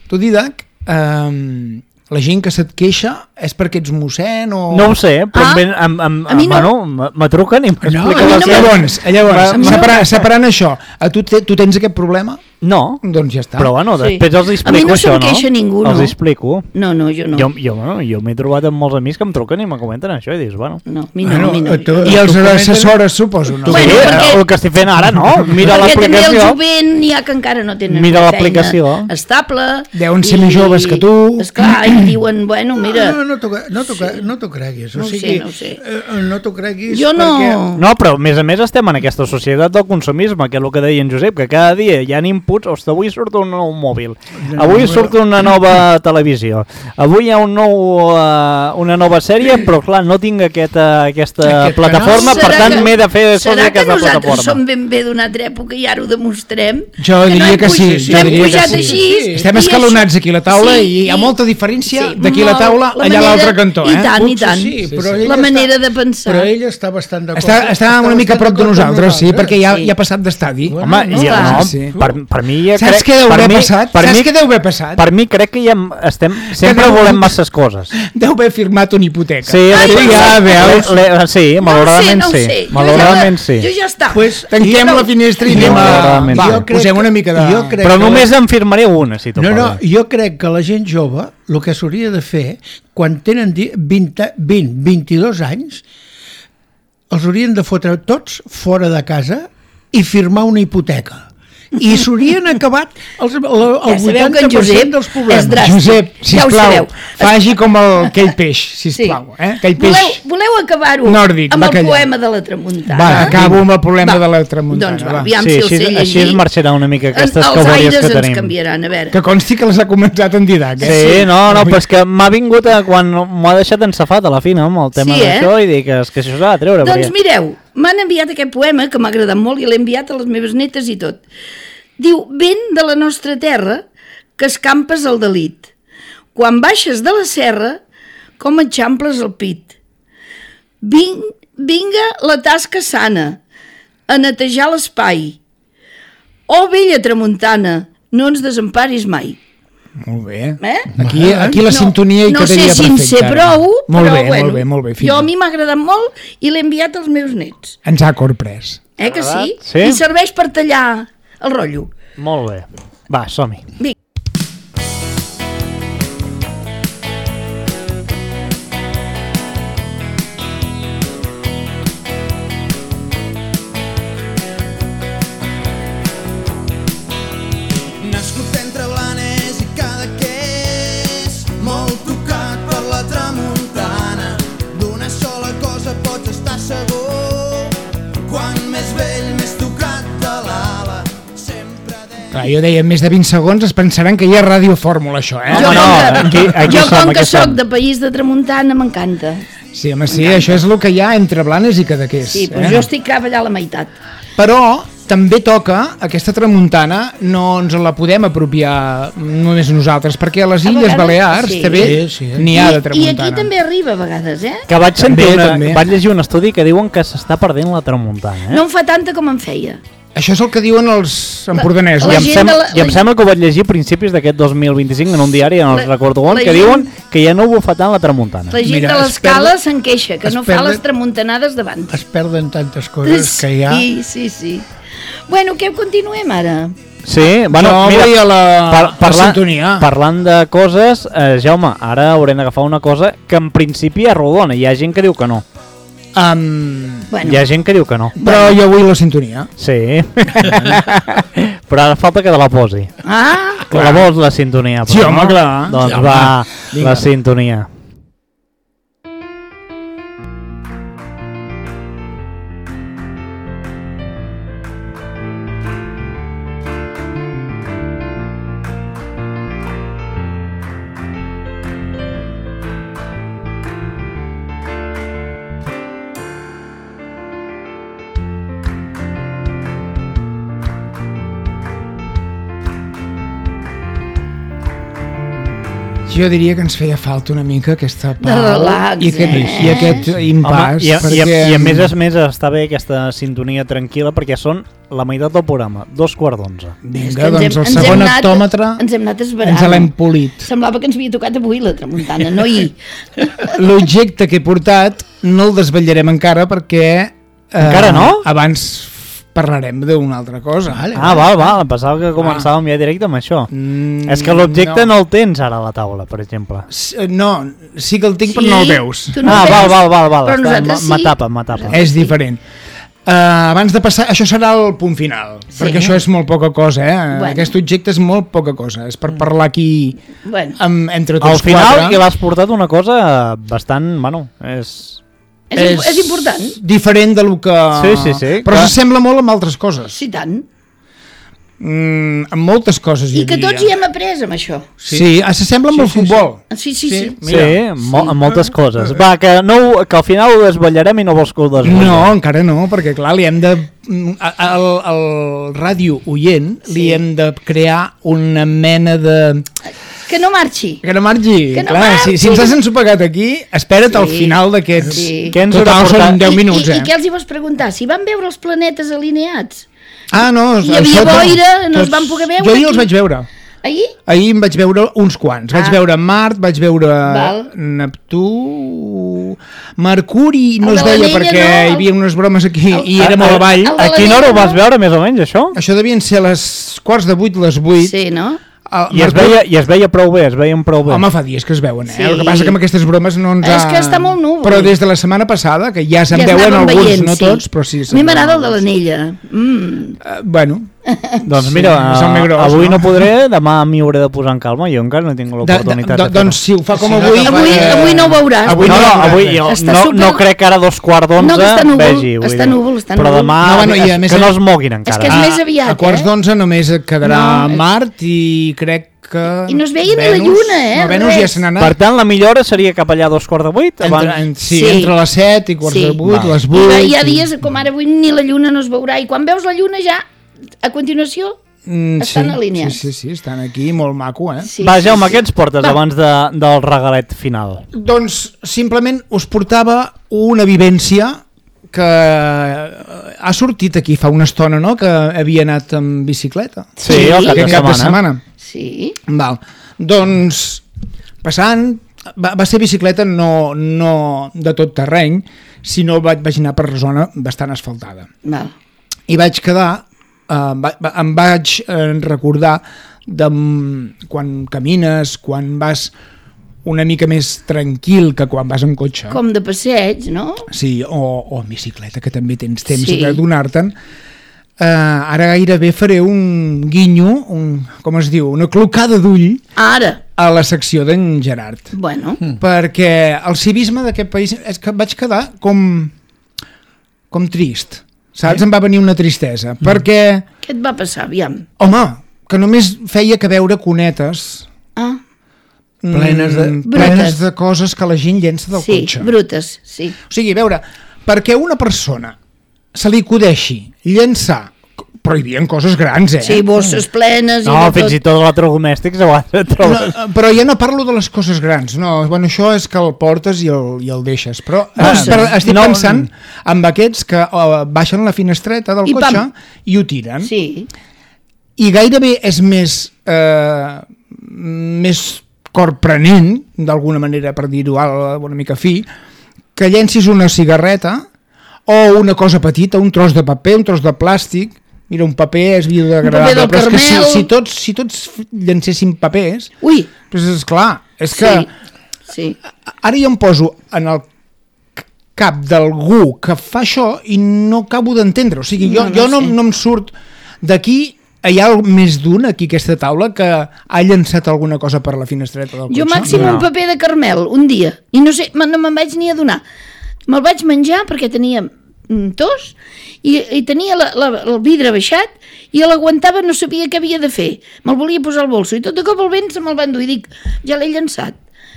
Tu, Didac, um, la gent que se't queixa és perquè ets mossèn o... No ho sé, però Ah, em, em, em, a mi no. bueno, me- me truquen i m'expliquen a mi les no coses. m'ha- Llavors, llavors A mi no. separant, separant això, a tu, te, tu tens aquest problema? No, Doncs ja està. però bueno, Sí. després els A mi explico no això, se'm no? queixa ningú, Els no. explico. No, no, jo no. Jo, jo, bueno, jo m'he trobat amb molts amics que em truquen i me comenten això i dius, bueno... No, a mi no, Bueno, a mi no. tu- Jo no. I els Tu comenten- assessores, suposo, no? Bueno, sí, perquè- el que estic fent ara, no? Mira Perquè també el l'aplicació. jovent n'hi ha que encara no tenen Mira una l'aplicació. feina estable. Deuen ser més joves que tu. Esclar, i diuen, bueno, mira... No, no t'ho no t'ho cre- no t'ho creguis. O No ho sé, sigui, no ho sé. eh, no t'ho creguis Jo no... perquè... No, però a més a més estem en aquesta societat del consumisme, que és el que deia en Josep, que cada dia hi ha inputs, ostres, avui surt un nou mòbil, avui surt una nova televisió, avui hi ha un nou, uh, una nova sèrie, però clar, no tinc aquesta, aquesta Aquest plataforma, canal. per Serà tant que- m'he de fer soci Serà que aquesta nosaltres plataforma. som ben bé d'una altra època i ara ho demostrem? Jo Que no diria hem que sí, puj- jo no hem diria que pujat sí. així, Sí. Estem i escalonats això- aquí a la taula Sí, i hi ha molta diferència sí, d'aquí a la molt. taula La allà a manera- l'altre cantó, eh? I tant, i Potser tant. sí, però sí. ell La està- manera de pensar. Però ell està bastant d'acord. Està, està una mica a prop de d'acord amb nosaltres, sí, perquè ja, Sí. ja ha passat d'estadi. Bueno, Home, no, ja, clar. no, Sí. per, per mi ja Saps crec... què deu per haver mi, passat? Per Saps mi, què deu haver passat? Per mi crec que ja em- estem, sempre deu- volem masses coses. Deu haver firmat una hipoteca. Sí, Ai, sí, no ja sé. veus. Le, le, sí, malauradament no ho sé, no ho sí. sé. Jo Malauradament ja, sí. Jo ja està. Pues, Tanquem la finestra i anem a... Malauradament. Va, Jo crec posem que- una mica de... jo crec Però que només la- en firmaré una, si t'ho No, no, pare. jo crec que la gent jove, el que s'hauria de fer, quan tenen di- vint, vint, vint-i-dos anys, els haurien de fotre tots fora de casa i firmar una hipoteca. I s'haurien acabat els, el, el Ja sabeu que en vuitanta per Josep cent dels problemes. és dràstic. Josep, Ja ho sisplau, sabeu. faci com el, aquell peix, sisplau. Eh? Aquell peix... Voleu, voleu acabar-ho nòrdic, amb el bacallà. poema de la tramuntana? Va, acabo amb el problema Va. de la tramuntana. Doncs va, va. aviam Sí, si el així, sé llegir. així es marxarà una mica aquestes Els cabòries aires que ens tenim. canviaran, a veure. Que consti que les ha començat en Didac. Sí, Eh? no, no, però és que m'ha vingut a, quan m'ho ha deixat ensafat a la fina amb el tema Sí, eh? d'això i dic és que això s'ha de treure. Doncs perquè... mireu, m'han enviat aquest poema que m'ha agradat molt i l'he enviat a les meves netes i tot. Diu, vent de la nostra terra que escampes el delit. Quan baixes de la serra, com eixamples el pit. Ving, vinga la tasca sana, a netejar l'espai. Oh, vella tramuntana, no ens desemparis mai. Molt bé. Eh? Aquí, aquí la No- sintonia hi no quedaria sé si en sé perfecta. prou, molt però bé, bueno, molt bé, molt bé. jo a mi m'ha agradat molt i l'he enviat als meus nets. Ens ha corprès. Eh que sí? Sí. I serveix per tallar el rotllo. Molt bé. Va, som-hi. Vinga. Nascut entre Blanes i Cadaqués, molt tocat per la tramuntana. D'una sola cosa pots estar segur, quan més vell, més tocat de l'ala. Sempre deia... Clar, jo deia, en més de vint segons es pensaran que hi ha Ràdio Fórmula, això, eh? Jo, no, com que, aquí- aquí jo som, com aquí que soc som. de país de tramuntana, m'encanta. Sí, home, sí, això és el que hi ha entre Blanes i Cadaqués. Sí, eh? doncs jo estic cap allà a la meitat. Però també toca, aquesta tramuntana no ens la podem apropiar només nosaltres, perquè a les A Illes vegades, Balears sí. també Sí, sí. n'hi ha de I, I tramuntana. aquí també arriba a vegades, eh? Que vaig sentir També, una, també. vaig llegir un estudi que diuen que s'està perdent la tramuntana, eh? No en fa tanta com en feia. Això és el que diuen els empordanesos. I La em, gent sem de la- I em la- sembla que ho vaig llegir a principis d'aquest dos mil vint-i-cinc en un diari, no La- els recordo on, la que gent- diuen que ja no bufa tant la tramuntana. La gent Mira, de es l'escala perd- se'n queixa, que es no fa perden- les tramuntanades davant. Es perden tantes coses que hi ha... Sí, sí, sí. Bueno, què continuem ara? Sí, bueno, Jo mira, vull a la, par la parlant, sintonia. parlant de coses, eh, Jaume, ara haurem d'agafar una cosa que en principi és rodona, hi ha gent que diu que no. Um, Bueno, Hi ha gent que diu que no. però jo vull la sintonia. Sí. Però ara falta que te la posi. ah, La vols, la sintonia. Però Sí, home, no? clar. Doncs Sí, va, home, vinga. la sintonia. Jo diria que ens feia falta una mica aquesta pau De relax, i aquest, eh? i aquest impàs. Home, i, a, perquè... i, a, I a més a més està bé aquesta sintonia tranquil·la perquè són la meitat del programa, dos quarts d'onze. és Vinga, que ens doncs hem- el ens hem segon anat- hectòmetre ens hem anat esverant. ens l'hem polit. Semblava que ens havia tocat avui la tramuntana, no ahir. L'objecte que he portat no el desvetllarem encara perquè... Eh, Encara no? Abans parlarem d'una altra cosa. Vale. Ah, val, val, em pensava que començàvem ja directe amb això. Mm, És que l'objecte no. no el tens ara a la taula, per exemple. S- No, sí que el tinc, però no el veus. Tu no ah, el val, veus, val, val, val. però Està, nosaltres sí. M'atapa, m'atapa. És diferent. Uh, abans de passar, això serà el punt final, Sí. perquè això és molt poca cosa, eh? Bueno. Aquest objecte és molt poca cosa, és per parlar aquí Bueno, amb, entre Al tots final quatre. que l'has portat una cosa bastant, bueno, és... és, és, és important. diferent de lo que... Sí, sí, sí, Però clar. s'assembla molt amb altres coses. Sí, tant. Mm, amb moltes coses, jo I que diria. tots hi hem après amb això. Sí, sí s'assembla amb Sí, el sí, futbol. Sí, sí, sí. Sí, mo amb moltes coses. Va, que, no, ho- que al final ho desvetllarem i no vols que ho desvetllem. No, encara no, perquè clar, li hem de... Al, al ràdio oient Sí. li hem de crear una mena de... Que no marxi. Que no marxi. Que no clar, marxi. Si, si ens has ensopegat aquí, espera't Sí. al final d'aquests... Sí. Què ens haurà Total, portat? són deu I, minuts, i, eh? I què els hi vols preguntar? Si van veure els planetes alineats? Ah, no, Hi havia això tot- boira, no es tots- van poder veure Jo ahir aquí. els vaig veure. Ahir? Ahir em vaig veure uns quants. Vaig Ah. veure Mart, vaig veure Val. Neptú... Mercuri no El es de veia l'anella, perquè no, el- hi havia unes bromes aquí el- i era molt avall. el- A quina hora ho vas no? veure, més o menys, això? Això devien ser les quarts de vuit, les vuit. Sí, no? El I es, Mercuri- veia, I es veia prou bé, es veien prou bé. Home, fa dies que es veuen, eh? Sí. El que passa que amb aquestes bromes no ens És ha... que està molt núvol. Però des de la setmana passada, que ja se'n Ja es veuen anaven alguns, veient, no sí. tots, però sí. A mi se'n m'agrada el veuen de alguns. l'anella. Mm. Eh, bueno, Doncs Sí, mira, és el més gros, avui no? no? podré, demà m'hi hauré de posar en calma, jo encara no he tingut de, de, l'oportunitat de, de, doncs si ho fa com Si no avui... te Avui, eh, avui no ho veuràs. avui No, no, veuràs avui res. jo Està no, super- no crec que ara a dos quarts d'onze No, que està núvol, vegi. vull està dir. núvol, està Però núvol. demà No, bueno, i a que, més que no és- es moguin encara. que és més aviat, a quarts eh? d'onze només et quedarà No, és- Mart i crec que... I no es veia ni la Venus- lluna, eh, No, Venus res. ja se n'ha Per anat. tant, la millor hora seria cap allà a dos quarts de vuit. Entre, Abans... en, sí, Sí. entre les set i quarts Sí. de vuit, Val. les I vuit... hi ha dies com ara avui ni la lluna no es veurà i quan veus la lluna ja, a continuació, Mm, estan sí, alineats. Sí, sí, sí, estan aquí, molt maco, eh? sí, Va, sí, Jaume, sí. què ens portes Va. abans de, del regalet final? Doncs simplement us portava una vivència que ha sortit aquí fa una estona, no?, que havia anat amb bicicleta. Sí, Sí. el cap de Aquest cap de setmana. setmana. Sí, Val. Doncs, passant, va, va ser bicicleta no, no de tot terreny, sinó vaig, vaig anar per zona bastant asfaltada. val. I vaig quedar, eh, va, va, em vaig eh, recordar de mm, quan camines, quan vas una mica més tranquil que quan vas en cotxe. Com de passeig, no? Sí, o, o en bicicleta, que també tens temps Sí. de donar-te'n. Uh, ara gairebé faré un guinyo, un, com es diu, una clocada d'ull Ara, a la secció d'en Gerard. bueno, Mm. Perquè el civisme d'aquest país és que vaig quedar com, com trist, saps? Em va venir una tristesa, mm. perquè, què et va passar, aviam? home, que només feia que veure conetes Ah, mm, Plenes de- plenes Brutes. de coses que la gent llença del sí, cotxe. brutes, sí. O sigui, a veure, perquè una persona se li acudeixi llançar prohibien coses grans, eh? Sí, bosses plenes i No, de fins i tot. tot electrodomèstics a vegades et trobes. No, però ja no parlo de les coses grans, no, bueno, això és que el portes i el, i el deixes, però eh, Bosses. per, estic No. pensant amb aquests que uh, baixen la finestreta del I cotxe pam. i ho tiren, Sí, i gairebé és més eh, més corprenent, d'alguna manera, per dir-ho una mica fi, que llencis una cigarreta o una cosa petita, un tros de paper, un tros de plàstic. Mira, un paper és biodegradable, Un paper del però és que si, Carmel. si, tots, si tots llancéssim papers, ui, doncs és clar, és que sí, sí. ara jo em poso en el cap d'algú que fa això i no acabo d'entendre, o sigui, jo No, no, no jo no, sé. no em surt d'aquí. Hi ha més d'un aquí a aquesta taula que ha llançat alguna cosa per la finestreta del cotxe? Jo màxim No. un paper de Carmel, un dia, i no sé, me- no me'n vaig ni adonar. Me'l vaig menjar perquè tenia mm, tos i, i tenia la, la, el vidre baixat i l'aguantava, no sabia què havia de fer. Me'l volia posar al bolso i tot de cop el vent se me'l va endur i dic, ja l'he llançat,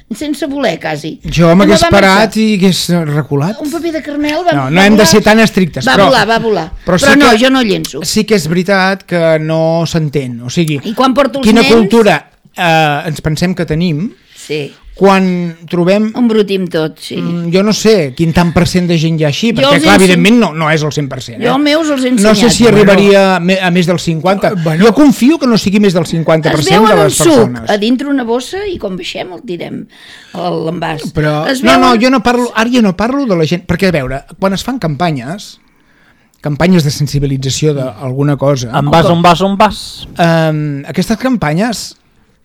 sense voler, quasi. Jo I me'l m'hagués va parat marxar. i hagués reculat. Un paper de Carmel va, No, va no hem de volar. ser tan estrictes, Va però... volar, va volar. però Però, sí no, que- jo no llenço. Sí que és veritat que no s'entén, o sigui, I quan porto els quina nens... cultura eh, ens pensem que tenim Sí, quan trobem... embrutim tot, sí. Mm, jo no sé quin tant per cent de gent hi ha així, Jo perquè els clar, he evidentment no, no és el cent per cent. Eh? Jo els meus els he No ensenyat. sé si arribaria me- a més del cinquanta. Bueno. Jo confio que no sigui més del cinquanta per Es cent veu de en un les suc persones. a dintre una bossa i quan baixem el tirem a l'envàs. Però- Es No, veu no, en- jo no parlo, ara jo no parlo de la gent, perquè a veure, quan es fan campanyes, campanyes de sensibilització d'alguna cosa, En vas on vas on vas. eh, aquestes campanyes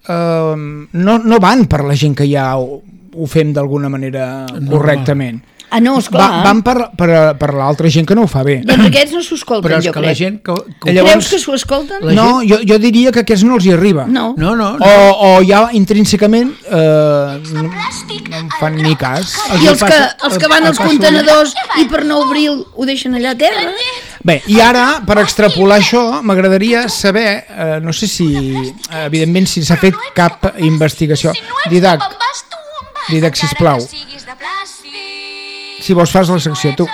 eh, no, no van per la gent que ja ho, ho fem d'alguna manera correctament. Ah, no, esclar. Va, van per, per, per l'altra gent que no ho fa bé. Doncs aquests no s'ho escolten, Però és jo que crec. la gent... Que, que... Llavors- Creus que s'ho escolten? La No, jo, jo diria que a aquests no els hi arriba. No. No, no, O, no. o ja intrínsecament eh, no, no en fan ni cas. I els que, passa- els que van el als passa- contenedors i per no obrir ho deixen allà a terra? Bé, i ara, per extrapolar això, m'agradaria saber, eh, no sé si, eh, evidentment, si s'ha fet cap investigació. Didac, Didac, sisplau, si vols fas la secció, tu.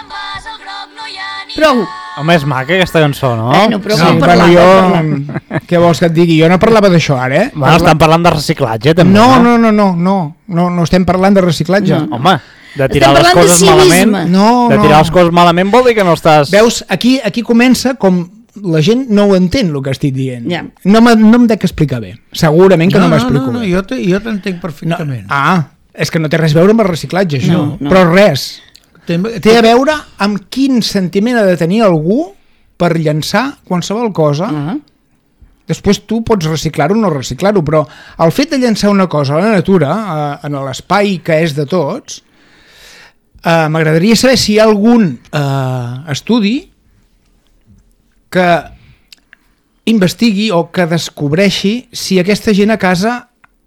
Prou. Home, és maca aquesta cançó, no? Bueno, però Sí, cal bueno, parlar, jo, cal parlar. què vols que et digui? Jo no parlava d'això ara, eh? Bueno, estan parlant de reciclatge, també, No, no? no, no, no, no, no, no estem parlant de reciclatge. No. Home, de tirar Estem les parlant de coses civisme. malament... No, de no. tirar les coses malament vol dir que no estàs... Veus, aquí, aquí comença com la gent no ho entén, el que estic dient. Ja. No, me, no em dec explicar bé. Segurament que no, no, m'explico no, no, bé. jo te- jo t'entenc No, perfectament. ah, és que no té res a veure amb el reciclatge, això. No, no. Però res. Té, Té a veure amb quin sentiment ha de tenir algú per llançar qualsevol cosa. Ah. Després tu pots reciclar-ho o no reciclar-ho, però el fet de llançar una cosa a la natura, eh, en l'espai que és de tots, eh, m'agradaria saber si hi ha algun eh, estudi que investigui o que descobreixi si aquesta gent a casa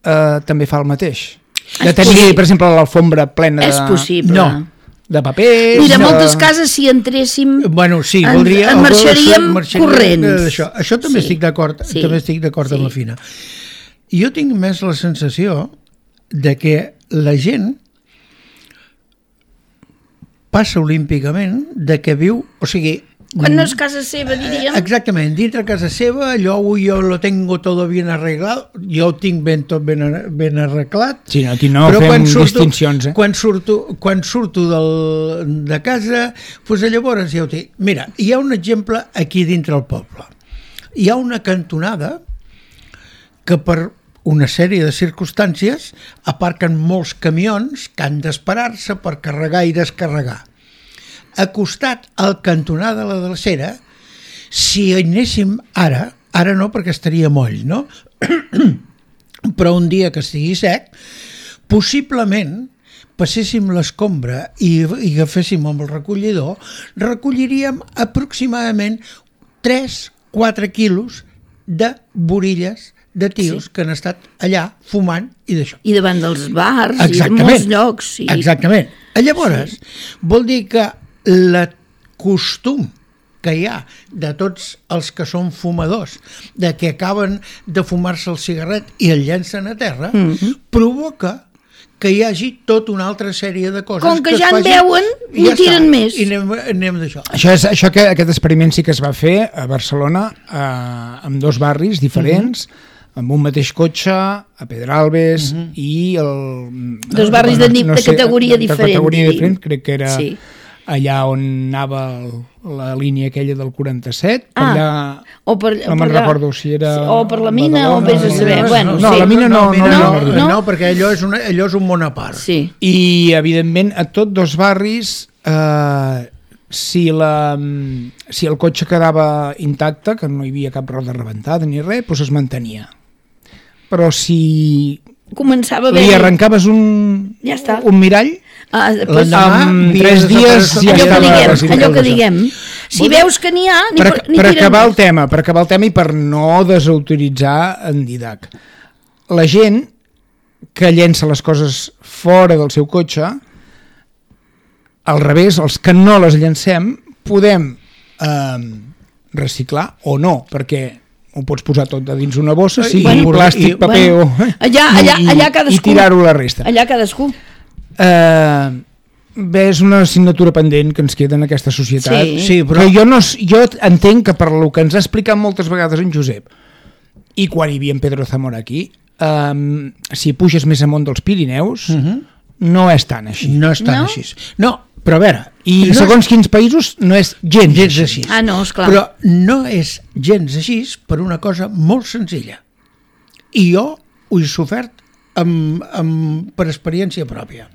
eh, també fa el mateix. De És tenir, possible. per exemple, l'alfombra plena de, És possible. No. de papers... Mira, de... moltes cases, si entréssim... Bueno, sí, En- voldria... en marxaríem marxaríem corrents. d'això. Això també Sí. estic d'acord, Sí. també estic d'acord Sí. amb la Fina. Jo tinc més la sensació de que la gent passa olímpicament de que viu, o sigui, Quan no és casa seva, diríem... exactament, dintre casa seva, allò avui jo lo tengo todo bien arreglado, jo ho tinc ben, tot ben, ar- ben arreglat, Sí, aquí no però fem quan surto, distincions, eh? quan surto, quan surto del, de casa, doncs llavors ja ho tinc. Mira, hi ha un exemple aquí dintre el poble. Hi ha una cantonada que per una sèrie de circumstàncies aparquen molts camions que han d'esperar-se per carregar i descarregar. Acostat al cantonada de la drecera, si hi anéssim ara, ara no perquè estaria moll, no? Però un dia que estigui sec, possiblement passéssim l'escombra i, i agaféssim amb el recollidor, recolliríem aproximadament tres quatre quilos de borilles de tios sí. que han estat allà fumant i d'això. I davant dels bars i de molts llocs. Sí. Exactament. Llavors, sí. vol dir que el costum que hi ha de tots els que són fumadors, de que acaben de fumar-se el cigarret i el llencen a terra, mm-hmm. provoca que hi hagi tota una altra sèrie de coses Com que es ja en facin, veuen, i n'hi tiren està, més. I anem, anem d'això. Això és això que aquest experiment sí que es va fer a Barcelona, eh, amb dos barris diferents, uh-huh. amb un mateix cotxe, a Pedralbes, uh-huh. i el... Dos barris de, de categoria de, diferent. De categoria diríem. diferent, crec que era Sí. allà on anava el, la línia aquella del quaranta-set, Ah, allà... o per, No me'n per allà. recordo si era... O per la mina, o vés a saber. No, Bueno, no, sí. la mina no, no, mira, no, no, no, no, no. perquè allò és, una, allò és un món a part. Sí. I, evidentment, a tots dos barris, eh, si, la, si el cotxe quedava intacte, que no hi havia cap roda rebentada ni res, doncs es mantenia. Però si Començava a li haver... arrencaves un, Ja està. un mirall, Ah, després, L'endemà, amb havia tres dies desaparès- ja allò que estava diguem, residual allò que d'això. diguem. Si veus que n'hi ha, ni, per, per, ni per tiren acabar el més. tema, per acabar el tema i per no desautoritzar en Didac. La gent que llença les coses fora del seu cotxe, al revés, els que no les llancem, podem eh, reciclar o no, perquè ho pots posar tot a dins una bossa, sigui Bueno, plàstic, i- paper bueno, o... allà- allà- i, allà cadascú. I tirar-ho a la resta. Allà cadascú. Eh, bé, és una assignatura pendent que ens queda en aquesta societat. Sí. Sí, però... Però jo, no, s- jo entenc que per lo que ens ha explicat moltes vegades en Josep, i quan hi havia en Pedro Zamora aquí, um, si puges més amunt dels Pirineus, uh -huh. no és tan així. No és tan No? així. No, però a veure... I no segons quins països no és gens, gens així. així. Ah, no, esclar. Però no és gens així per una cosa molt senzilla. I jo ho he sofert amb, amb, per experiència pròpia.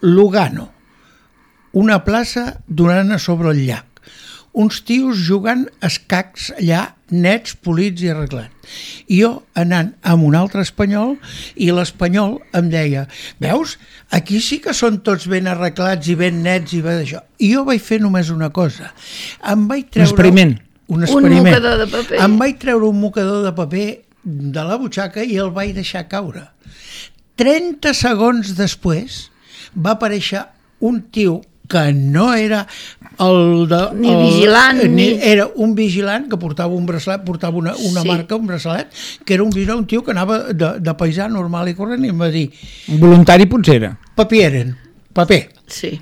Lugano, una plaça donant a sobre el llac. Uns tios jugant escacs allà, nets, polits i arreglats. I jo anant amb un altre espanyol, i l'espanyol em deia, veus, aquí sí que són tots ben arreglats i ben nets i ben d'això. I jo vaig fer només una cosa. Em vaig treure... experiment. Un Un experiment. mocador de paper. Em vaig treure un mocador de paper de la butxaca i el vaig deixar caure. trenta segons després va aparèixer un tio que no era el de... Ni el, vigilant, ni... ni- Era un vigilant que portava un braçalet, portava una, una Sí. marca, un braçalet, que era un vigilant, un tio que anava de, de paisà normal i corrent, i em va dir, Voluntari potser era. paper eren, paper. Sí.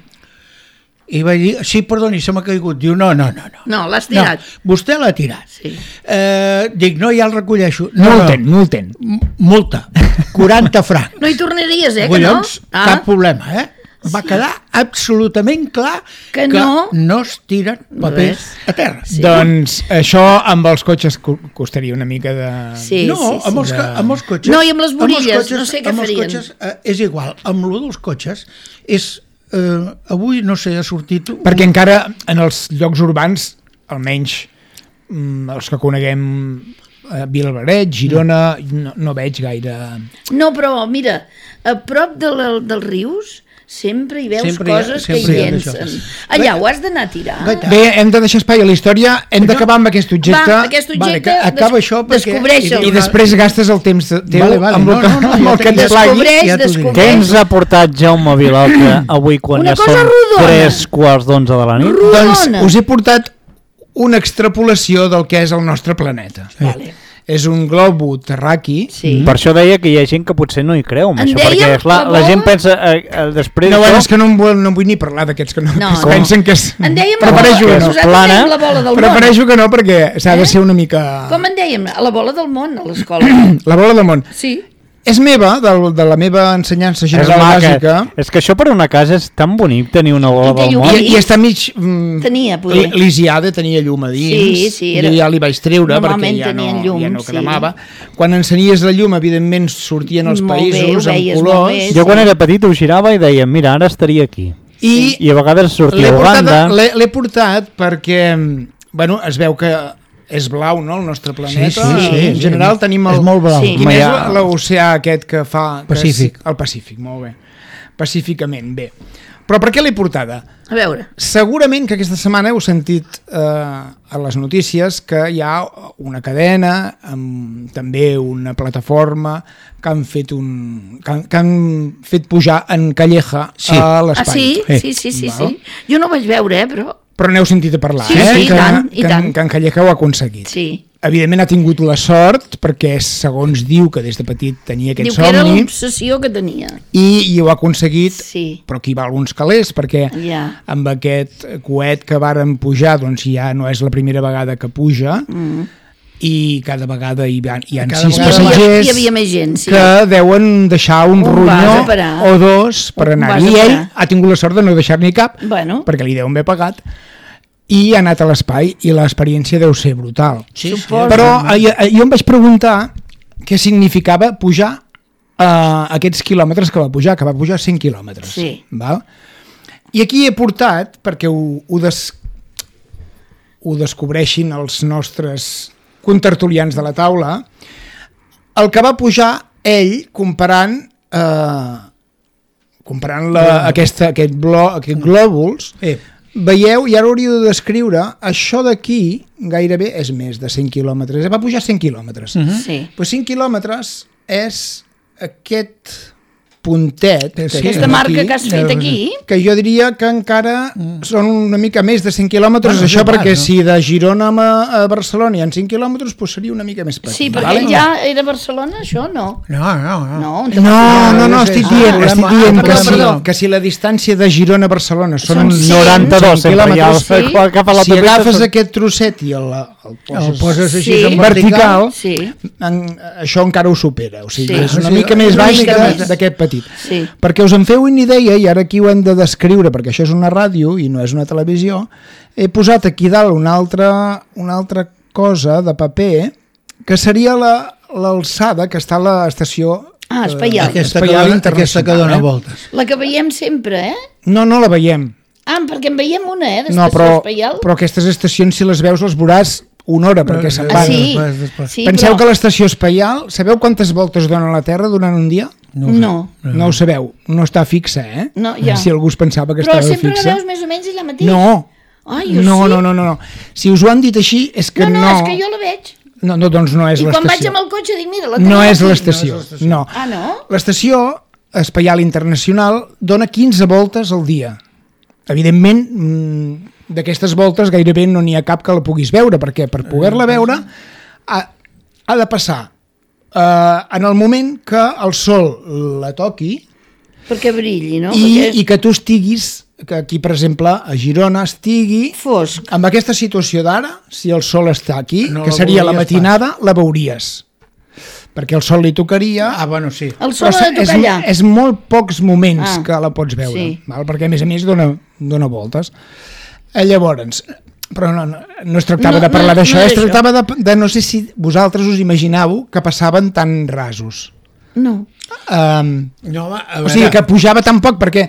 I vaig dir, sí, perdoni, se m'ha caigut. Diu, no, no, no. no. No, l'has tirat. No, vostè l'ha tirat. Sí. Eh, dic, no, ja el recolleixo. No, Multen, no. multen. M- Multa, quaranta francs. No hi tornaries, eh, que Collons, no? Ah, cap problema, eh? Va quedar absolutament clar Que no. no es tiren papers Res. a terra. Sí. Doncs això amb els cotxes co- costaria una mica de... Sí, no, sí, sí. amb, els, ca- amb els cotxes... No, i amb les els borilles, cotxes- no sé què amb els farien. Cotxes, eh, és igual, amb lo dels cotxes és... Eh, avui, no sé, ha sortit... un- Perquè encara en els llocs urbans, almenys mm, els que coneguem a Vilaberret, Girona, no, no veig gaire... No, però mira, a prop de la, dels rius sempre hi veus Sempre hi ha- coses sempre que hi hi ha llencen. d'això. Allà ho has d'anar a tirar. Gaita. Bé, hem de deixar espai a la història, hem d'acabar amb aquest objecte Va, aquest Vale, objecte, que acaba des- això perquè- descobreixe'l. i després gastes el temps de- teu Vale, vale, amb el no, que, no, no, amb ja el te- que et ja plagui. Descobreix, ja t'ho diré. descobreix. Què ens ha portat Jaume Vilalta avui quan Una ja cosa són rodona. tres quarts d'onze de la nit? Doncs Rodona. us he portat una extrapolació del que és el nostre planeta. Vale. És un globo terraqui. Sí. Per això deia que hi ha gent que potser no hi creu en En això, dèiem perquè clar, la la gent bola- pensa eh, eh, després No, bueno, d'això- és que no em vull, no em vull ni parlar d'aquests que, no, No, que es no. pensen que és... En dèiem la bola, Prefereixo que no. nosaltres plana. dèiem la bola del món. Prefereixo que no perquè s'ha de ser una mica... Com en dèiem? A la bola del món, a l'escola. La bola del món. Sí. És meva, de, de la meva ensenyança és general maca. bàsica, És que això per una casa és tan bonic tenir una bola I té del llum. món. i, i està mig... Mm, Tenia, poder. Lisiada, tenia llum a dins. Sí, sí, era- Jo ja li vaig treure perquè Normalment ja no, tenien llum, ja no sí. cremava. Quan encenies la llum, evidentment, sortien els Molt bé, països ho amb veies molt colors. bé. Jo quan era petit ho girava i deia, mira, ara estaria aquí. I I a vegades l'he sortia portat, Uganda. l'he l'he portat perquè, bueno, es veu que és blau, no?, el nostre planeta. Sí, sí, sí, En sí. general tenim el... És molt blau. Sí. Quin Home, és ja- l'oceà aquest que fa... que és- Pacífic. El Pacífic, molt bé. Pacíficament, bé. Però per què l'he portada? A veure. Segurament que aquesta setmana heu sentit eh, a les notícies que hi ha una cadena, amb també una plataforma que han fet un que han, que han fet pujar en Calleja Sí. a Ah, l'espai. sí? Eh. Sí, sí, sí, Val. sí. Jo no ho vaig veure, eh, però... Però n'heu sentit a parlar, Sí, eh? sí, i que, tant, i que, tant. que en Calleja ho ha aconseguit. Sí. evidentment ha tingut la sort, perquè segons diu que des de petit tenia aquest Diu que era somni, l'obsessió que tenia. i, i ho ha aconseguit, Sí. però aquí va alguns calés, perquè Ja. amb aquest coet que varen pujar, doncs ja no és la primera vegada que puja, Mm. i cada vegada hi ha, hi ha Cada sis vegada passatgers hi havia més gent, sí. que deuen deixar un, Un vas ronyó a parar. o dos per Un anar. vas a I ell parar. ha tingut la sort de no deixar-n'hi cap, Bueno, perquè li deuen haver pagat, i ha anat a l'espai, i l'experiència deu ser brutal. Sí, Suposo. Però eh, jo em vaig preguntar què significava pujar eh, aquests quilòmetres que va pujar, que va pujar cent quilòmetres. Sí. Val? I aquí he portat, perquè ho, ho, des, ho descobreixin els nostres contertulians de la taula, el que va pujar ell comparant eh, comparant la, aquesta, aquest, blo, aquest glòbuls, Eh, veieu, i ara hauríeu de descriure, això d'aquí gairebé és més de cent quilòmetres, va pujar cent quilòmetres. Mhm. sí. Però cinc quilòmetres és aquest puntet, Sí, que Aquesta tenim marca aquí, que has fet aquí, que jo diria que encara són una mica més de cent quilòmetres, Bueno, això és igual, perquè no? si de Girona a, a Barcelona hi ha cinc quilòmetres, doncs seria una mica més petit. sí, perquè vale? ja era Barcelona, això no. no, no, no. No, on te No, vas no, no, Ah, estic sí, dient, sí. estic Ah, dient que, perdó, si, perdó. que si la distància de Girona a Barcelona són, Són uns cent. noranta-dos, cent sempre, ja quilòmetres, Sí. sí. cap a la si autopista agafes són- aquest trosset i el, el poses, El poses així Sí. en vertical, Sí, en, això encara ho supera, o sigui, Sí. és una Sí, mica més una baix mica que més. d'aquest petit. sí. Perquè us en feu una idea, i ara aquí ho hem de descriure, perquè això és una ràdio i no és una televisió, he posat aquí dalt una altra, una altra cosa de paper, que seria la- l'alçada que està a l'estació Ah, Espaial. Aquesta, que Espaial dona, Internacional, aquesta que dona eh? voltes. La que veiem sempre, eh? No, no la veiem. Ah, perquè en veiem una, eh, No, d'estació però, Espaial. però aquestes estacions, si les veus, les veuràs una hora, perquè se'n Ah, van. sí? Després, després. Sí, Penseu però... que l'estació Espaial, sabeu quantes voltes dona la Terra durant un dia? No, ho No. sé. No ho sabeu, no està fixa, eh? No, ja. Si algú es pensava que Però estava sempre fixa. la veus més o menys allà mateix. No, Ai, jo no, sí. no, no, no, no. Si us ho han dit així, és que no, no... no, és que jo la veig. No, no, doncs no és I quan vaig l'estació. amb el cotxe dic, mira, la No tenim és aquí. l'estació, no. Ah, no? L'estació Espaial Internacional dona quinze voltes al dia. Evidentment, mm, d'aquestes voltes gairebé no n'hi ha cap que la puguis veure, perquè per poder-la veure ha, ha de passar eh, en el moment que el sol la toqui Perquè brilli, no? i, Perquè i que tu estiguis, que aquí per exemple a Girona estigui fosc. amb aquesta situació d'ara, si el sol està aquí, No que la seria la veuries matinada, la veuries. Perquè el sol li tocaria... Ah, bueno, sí. El sol però ha de és, tocar allà. és molt pocs moments Ah, que la pots veure, sí. val? Perquè a més a més dona, dona voltes. Eh, llavors, però no, no, no es tractava No, de parlar no, d'això, no es d'això. tractava de, de no sé si vosaltres us imaginàveu que passaven tan rasos. No. Um, No, home, a o veure, sigui, que pujava tan poc, perquè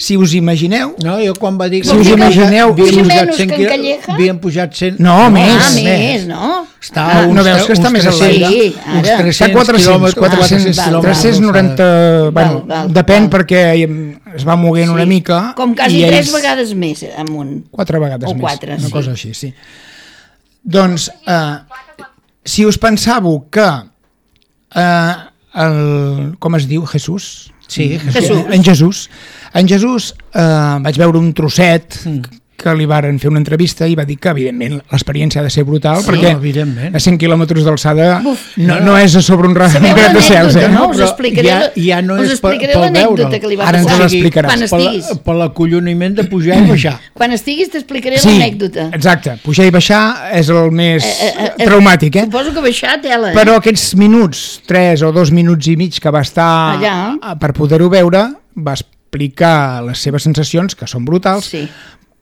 si us imagineu... No, jo quan va dir que Si us imagineu- havien Puja pujat menys cent que en quil- Calleja? havien pujat cent... No, més. Ah, més, no? Està Ah, uns, no veus que està uns més tres-cents, enlaire? Sí, ara. uns Està tres-cents quatre cents, quilòmetres, quatre cents, val, val. tres-cents noranta... Bueno, Val, val, depèn val. perquè es va moguent una mica. Com quasi i tres ells- vegades més amunt. Quatre vegades O més. quatre, una sí. cosa així, sí. Doncs, eh, si us pensàveu que eh, el, com es diu, Jesús? Sí, Jesús. En Jesús. En Jesús eh, vaig veure un trosset que li varen fer una entrevista i va dir que, evidentment, l'experiència ha de ser brutal, Sí. perquè No, evidentment. a cent quilòmetres d'alçada Uf. no, no és a sobre un ras Sabeu un gra de cels, eh? l'anècdota, no? No, Us però explicaré, ja- la- ja no us és per- explicaré pel l'anècdota veure'l. que li va Ara ens passar. l'explicaràs. Quan Per, estiguis, la, per l'acolloniment de pujar i baixar. quan estiguis t'explicaré Sí, l'anècdota. exacte. Pujar i baixar és el més Eh, eh, eh, traumàtic, eh? Suposo que baixar tela, eh? Però aquests minuts, tres o dos minuts i mig que va estar Allà. eh, per poder-ho veure, va explicar les seves sensacions, que són brutals, Sí.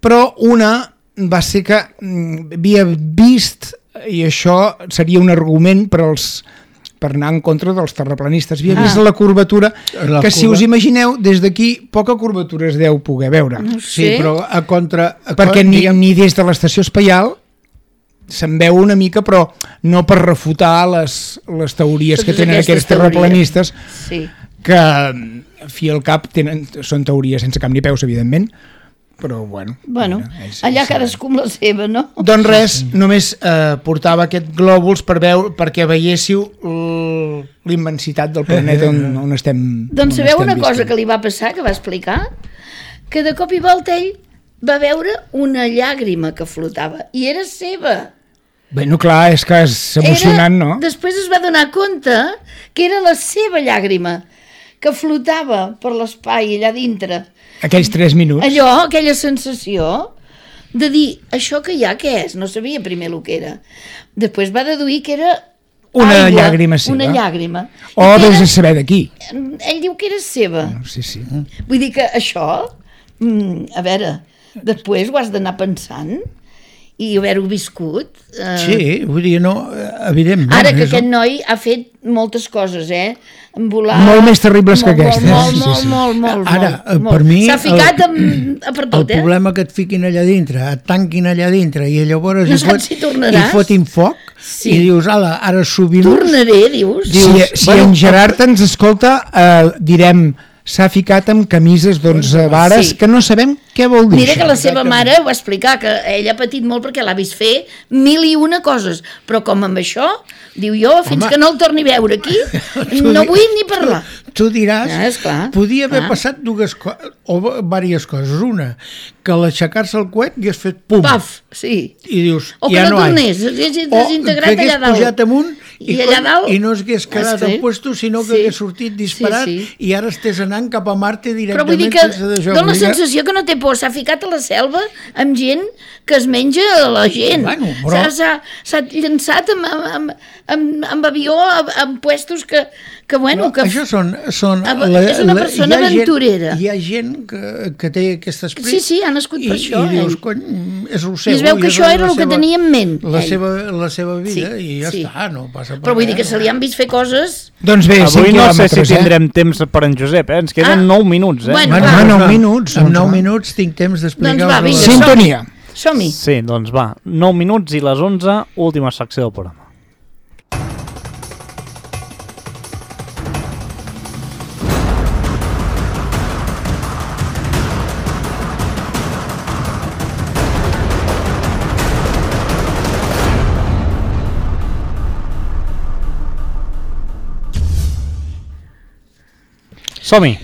però una va ser que mm, havia vist, i això seria un argument per als per anar en contra dels terraplanistes, havia Ah. vist la curvatura, La que si curva. us imagineu, des d'aquí poca curvatura es deu poder veure, No ho Sí, sé. però a contra... A perquè ni, diguem, ni des de l'estació Espaial se'n veu una mica, però no per refutar les, les teories Totes que tenen aquestes aquests terraplanistes, Sí. que a fi al cap tenen, són teories sense cap ni peus, evidentment, però bueno. Bueno, mira, és- allà és- cadascú amb la seva, no? Doncs res, només eh, portava aquest glòbuls per veure, perquè veiéssiu l- l'immensitat del planeta on, on estem. Doncs on sabeu estem una cosa visquent. que li va passar, que va explicar? Que de cop i volta ell va veure una llàgrima que flotava, i era seva. Bueno, clar, és que és emocionant, era, no? Després es va donar compte que era la seva llàgrima, que flotava per l'espai allà dintre. Aquells tres minuts. Allò, aquella sensació de dir, això que hi ha, què és? No sabia primer el que era. Després va deduir que era una aigua, llàgrima seva. Una llàgrima. O I vés era, a saber d'aquí. ell diu que era seva. Sí, sí. Vull dir que això, mm, a veure, després ho has d'anar pensant i haver-ho viscut. Eh, Sí, vull dir, no, evidentment. Ara que és- aquest noi ha fet moltes coses, eh? Volar... Molt més terribles que molt, aquestes. Molt, Sí, molt, sí. molt, molt, Ara, molt, per molt. mi, S'ha ficat el- amb, a per El tot, eh? problema que et fiquin allà dintre, et tanquin allà dintre i llavors No hi, saps si tornaràs. hi fotin foc Sí. i dius, ala, ara subim Tornaré, dius. Si, si en Gerard ens escolta, eh, direm s'ha ficat amb camises d'onze vares Sí. que no sabem què vol dir. Mira que la això. seva mare ho va explicar, que ella ha patit molt perquè l'ha vist fer mil i una coses, però com amb això, diu jo, fins Home. que no el torni a veure aquí, Tu no di- vull ni parlar. Tu, tu diràs, Ah, esclar, podia haver clar. passat dues coses, o diverses coses. Una, que a l'aixecar-se el coet hagués fet pum, Paf, sí. i dius, O que ja no no hi. tornés, s'hagués O desintegrat que hagués allà dalt. pujat amunt i, I allà dalt... i no s'hagués quedat Sí. al puesto, sinó que Sí. hagués sortit disparat Sí, sí. i ara estés anant cap a Marte Però directament vull dir que sense d'això. dona la Vull dir que- sensació que no té por, s'ha ficat a la selva amb gent que es menja a la gent. Bueno, però- S'ha- S'ha s'ha llançat amb, amb, amb, amb, amb avió, amb, amb puestos que, que bueno... Però Que... això són... són Ah, és una persona hi ha gent- aventurera. Hi ha gent que, que té aquest esperit. Sí, sí, ha nascut per i, això, I dius, ell. cony, és el seu. I es veu que és això la era el que seva- tenia en ment, La ell. seva, la seva vida, Sí, i ja sí. està, no passa per Però vull dir que res. se li han vist fer coses... Doncs bé, cinc Avui no sé quilòmetres, si eh? tindrem temps per en Josep, eh? Ens queden Ah. nou minuts, eh? Bueno, Bueno, va. va, nou va. minuts. En doncs nou va. minuts tinc temps d'explicar... Doncs va, vinga, la- som-hi. Sintonia. Som-hi. Sí, doncs va, nou minuts i les onze, última secció del programa. Som-hi.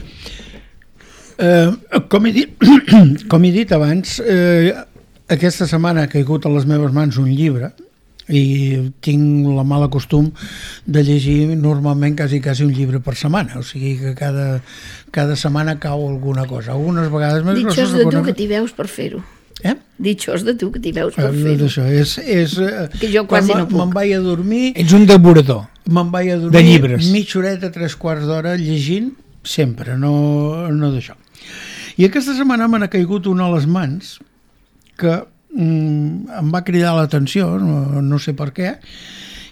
Eh, com, he dit, com he dit abans, eh, aquesta setmana ha caigut a les meves mans un llibre i tinc la mala costum de llegir normalment quasi, quasi un llibre per setmana, o sigui que cada, cada setmana cau alguna cosa, algunes vegades més Ditxós grosses, de tu algunes- que t'hi veus per fer-ho. Eh? Ditxós de tu que t'hi veus per Eh, fer-ho. Això és, és, eh, Que jo quan quasi me- no puc. Me'n vaig a dormir, Ets un devorador. me'n vaig a dormir De llibres. mitja horeta, tres quarts d'hora llegint, sempre, no, no d'això. I aquesta setmana me n'ha caigut una a les mans que mm, em va cridar l'atenció, no, no sé per què,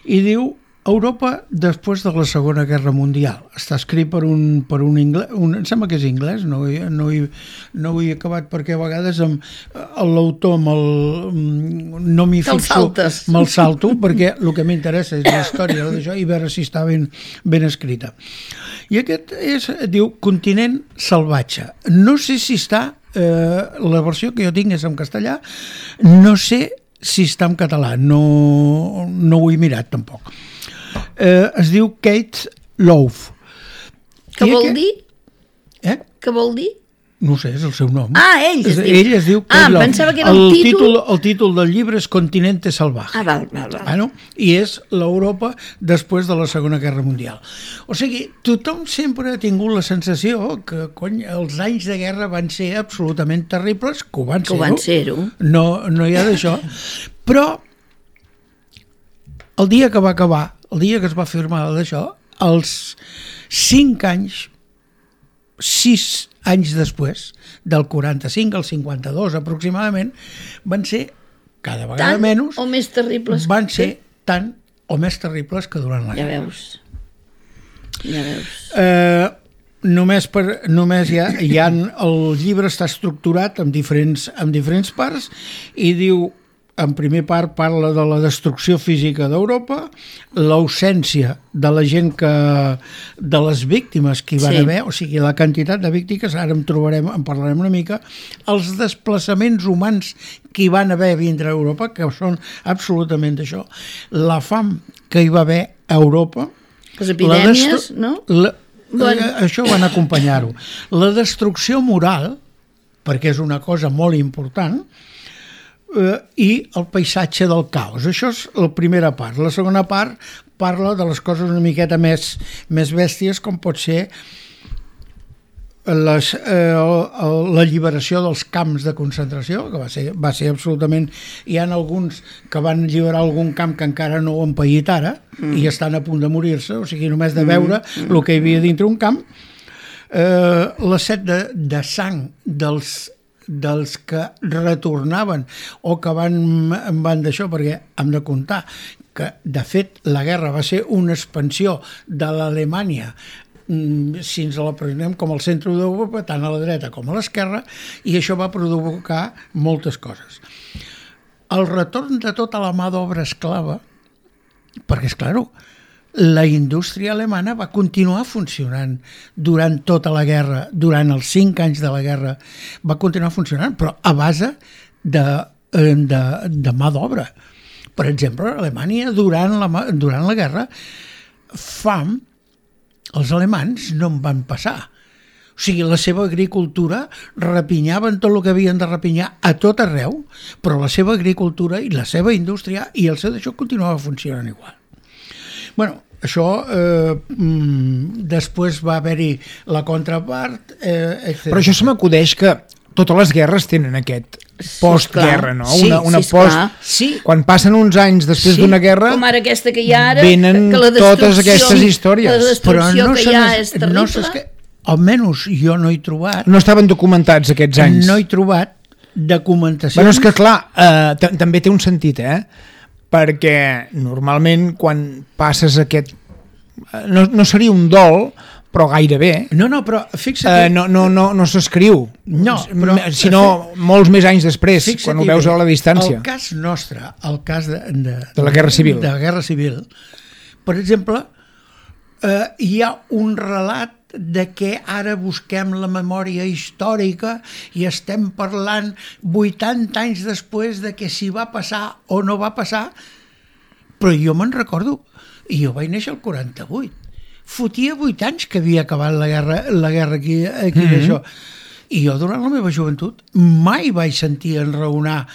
i diu Europa després de la Segona Guerra Mundial. Està escrit per un, per un anglès, un, em sembla que és anglès, no, he- no, he, no ho he acabat perquè a vegades amb l'autor me'l, no m'hi Te'l fixo, saltes. me'l salto perquè el que m'interessa és la història d'això i veure si està ben, ben escrita. I aquest és, diu, Continent salvatge. No sé si està, eh, la versió que jo tinc és en castellà, no sé si està en català, no, no ho he mirat tampoc. Eh, es diu Kate Love. Què I vol aquest- dir? Eh? Què vol dir? No ho sé, és el seu nom. Ah, ell es És- diu. Ell es diu Kate Ah, Love. pensava que era el títol. El títol del llibre és Continente salvaje. Ah, val, val, val. Bueno, i és l'Europa després de la Segona Guerra Mundial. O sigui, tothom sempre ha tingut la sensació que, cony, els anys de guerra van ser absolutament terribles, que ho van Que ho ser. van ser-ho. No, no hi ha d'això. Però el dia que va acabar, el dia que es va firmar d'això, els cinc anys, sis anys després, del quaranta-cinc al cinquanta-dos aproximadament, van ser cada vegada Tant menys, o més terribles. van ser tant o més terribles que durant la Ja guerra. veus. Ja veus. Eh, només per, només hi ha, hi ha, el llibre està estructurat en diferents, en diferents parts i diu, en primer part parla de la destrucció física d'Europa, l'ausència de la gent que, de les víctimes que hi van Sí. haver, o sigui, la quantitat de víctimes, ara en trobarem, en parlarem una mica, els desplaçaments humans que hi van haver a vindre a Europa, que són absolutament això, la fam que hi va haver a Europa, Les la epidèmies, destru- no? La, Bueno. eh, això van acompanyar-ho. La destrucció moral, perquè és una cosa molt important, eh, i el paisatge del caos. Això és la primera part. La segona part parla de les coses una miqueta més, més bèsties, com pot ser les, eh, l'alliberació dels camps de concentració, que va ser, va ser absolutament... Hi ha alguns que van alliberar algun camp que encara no ho han paït ara mm. i estan a punt de morir-se, o sigui, només de veure mm. el que hi havia dintre un camp. Eh, la set de, de sang dels, dels que retornaven o que van, van d'això, perquè hem de comptar que, de fet, la guerra va ser una expansió de l'Alemanya si ens la prenem com al centre d'Europa, tant a la dreta com a l'esquerra, i això va provocar moltes coses. El retorn de tota la mà d'obra esclava, perquè, és clar, la indústria alemana va continuar funcionant durant tota la guerra, durant els cinc anys de la guerra, va continuar funcionant, però a base de, de, de mà d'obra. Per exemple, a Alemanya, durant la, durant la guerra, fam, els alemans no en van passar. O sigui, la seva agricultura rapinyaven tot el que havien de rapinyar a tot arreu, però la seva agricultura i la seva indústria i el seu d'això continuava funcionant igual. Bueno, això eh, després va haver-hi la contrapart, eh, etcètera. Però això se m'acudeix que totes les guerres tenen aquest postguerra, no? Sí, una, una sí, post... sí. Quan passen uns anys després sí, d'una guerra, com ara aquesta que hi ha ara, venen que la totes aquestes històries. La destrucció no que hi ha és terrible. No que, almenys jo no he trobat... No estaven documentats aquests anys. No he trobat documentacions... Bueno, és que clar, eh, també té un sentit, eh? Perquè normalment quan passes aquest... No, no seria un dol, però gairebé. No, no, però fixa't... Eh, no no, no, no s'escriu, no, però, sinó molts més anys després, quan ho veus a la distància. El cas nostre, el cas de, de, de la Guerra Civil, de la Guerra Civil, per exemple, eh, hi ha un relat de que ara busquem la memòria històrica i estem parlant vuitanta anys després de que si va passar o no va passar, però jo me'n recordo, i jo vaig néixer el quaranta-vuit. Fotia vuit anys que havia acabat la guerra, la guerra aquí, aquí mm-hmm. això. I jo, durant la meva joventut, mai vaig sentir enraonar.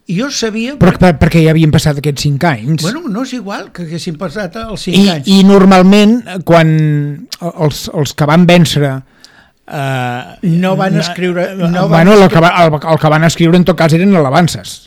Jo sabia... Però per, perquè ja havien passat aquests cinc anys. Bueno, no és igual que haguessin passat els cinc I, anys. I normalment, quan els, els que van vèncer... Eh, no van escriure... No bueno, van el, que va, el, el que van escriure en tot cas eren alabances.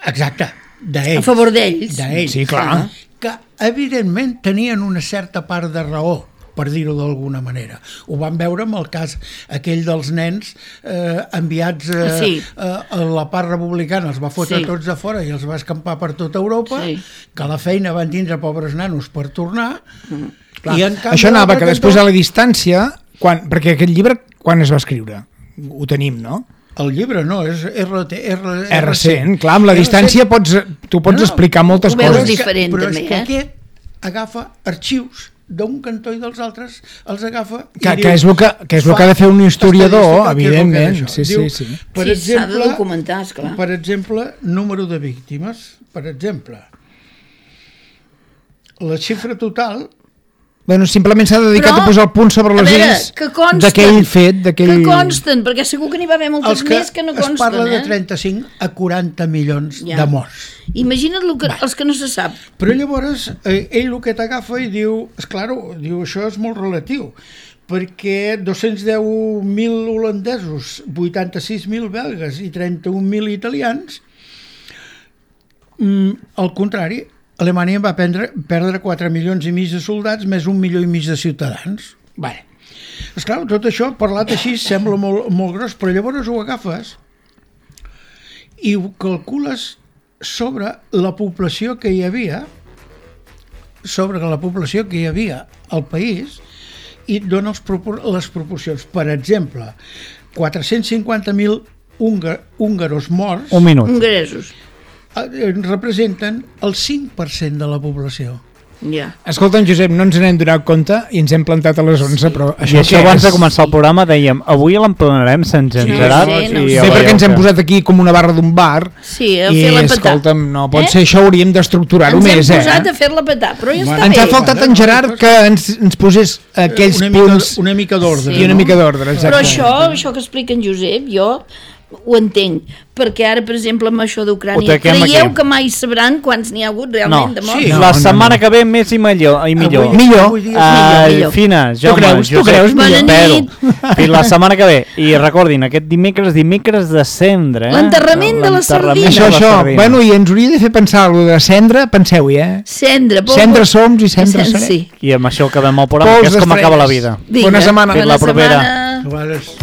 Exacte, d'ells. A favor d'ells. D'ells. Sí, clar. Que, evidentment, tenien una certa part de raó, per dir-ho d'alguna manera. Ho vam veure amb el cas aquell dels nens eh, enviats eh, sí. eh, a la part republicana, els va fotre sí. tots de fora i els va escampar per tota Europa, sí. que a la feina van tindre pobres nanos per tornar. Mm. I en canvi, això anava que després a la distància, quan, perquè aquest llibre quan es va escriure? Ho tenim, no? El llibre no, és R T, R, és recent, clar, amb la distància pots, tu pots no, explicar moltes coses. Diferent, però també, és que eh? aquest agafa arxius d'un cantó i dels altres, els agafa... Que, i que, diu, és el que, que és el que ha de fer un historiador, evidentment. Sí, diu, sí, sí. Per sí, exemple, s'ha de documentar, esclar. Per exemple, número de víctimes. Per exemple, la xifra total... Bueno, simplement s'ha dedicat però, a posar el punt sobre les is d'aquell fet, d'aquell... Que consten, perquè segur que n'hi va haver moltes que més que no consten. Es parla eh? de trenta-cinc a quaranta milions ja. de morts. Imagina't que, els que no se sap. Però llavors, eh, ell el que t'agafa i diu, esclar, diu, això és molt relatiu, perquè dos-cents deu mil holandesos, vuitanta-sis mil belgues i trenta-un mil italians, mm, al contrari, Alemanya va prendre, perdre quatre milions i mig de soldats més un milió i mig de ciutadans. Bé, esclar, tot això parlat així sembla molt, molt gros, però llavors ho agafes i ho calcules sobre la població que hi havia, sobre la població que hi havia al país i et dona els propor les proporcions. Per exemple, quatre-cents cinquanta mil húngaros morts... Un minut. Hongaresos. representen el cinc per cent de la població. Ja. Escolta, Josep, no ens n'hem donat compte i ens hem plantat a les onze, però això, I això abans és? de començar el programa dèiem, avui l'emplenarem Sant Jean Gerard. Sí, no, i sí, perquè ens hem posat aquí com una barra d'un bar sí, a i, fer-la petar. Escolta'm, no pot eh? ser això, hauríem d'estructurar-ho més, eh? Ens hem posat a fer-la petar, però ja bueno, està ens bé. ha faltat en Gerard que ens, ens posés aquells una punts... Mica, una mica d'ordre. Sí, I una no? mica d'ordre, exacte. Però això, això que explica en Josep, jo ho entenc, perquè ara, per exemple, amb això Ho d'Ucrània, taquem creieu aquí. que mai sabran quants n'hi ha hagut No, realment de morts? sí, No, la no, setmana no. que ve més i millor. I millor. Avui- Millor. avui dia és Uh, millor. Fina, Jaume, creus? Tu Josep, creus? Bona Espero. nit. Fins la setmana que ve. I recordin, aquest dimecres, dimecres de cendre. Eh? L'enterrament de la L'enterrament sardina. Això, de la això. sardina. Bueno, i ens hauria de fer pensar alguna de cendre, penseu-hi, eh? Cendra, pols... Cendra som i cendra Cen- serem. Sí. I amb això acabem el programa, Pols que és com d'estrelles. acaba la vida. Vinga, Bona setmana. Fins la propera. setmana. A vegades...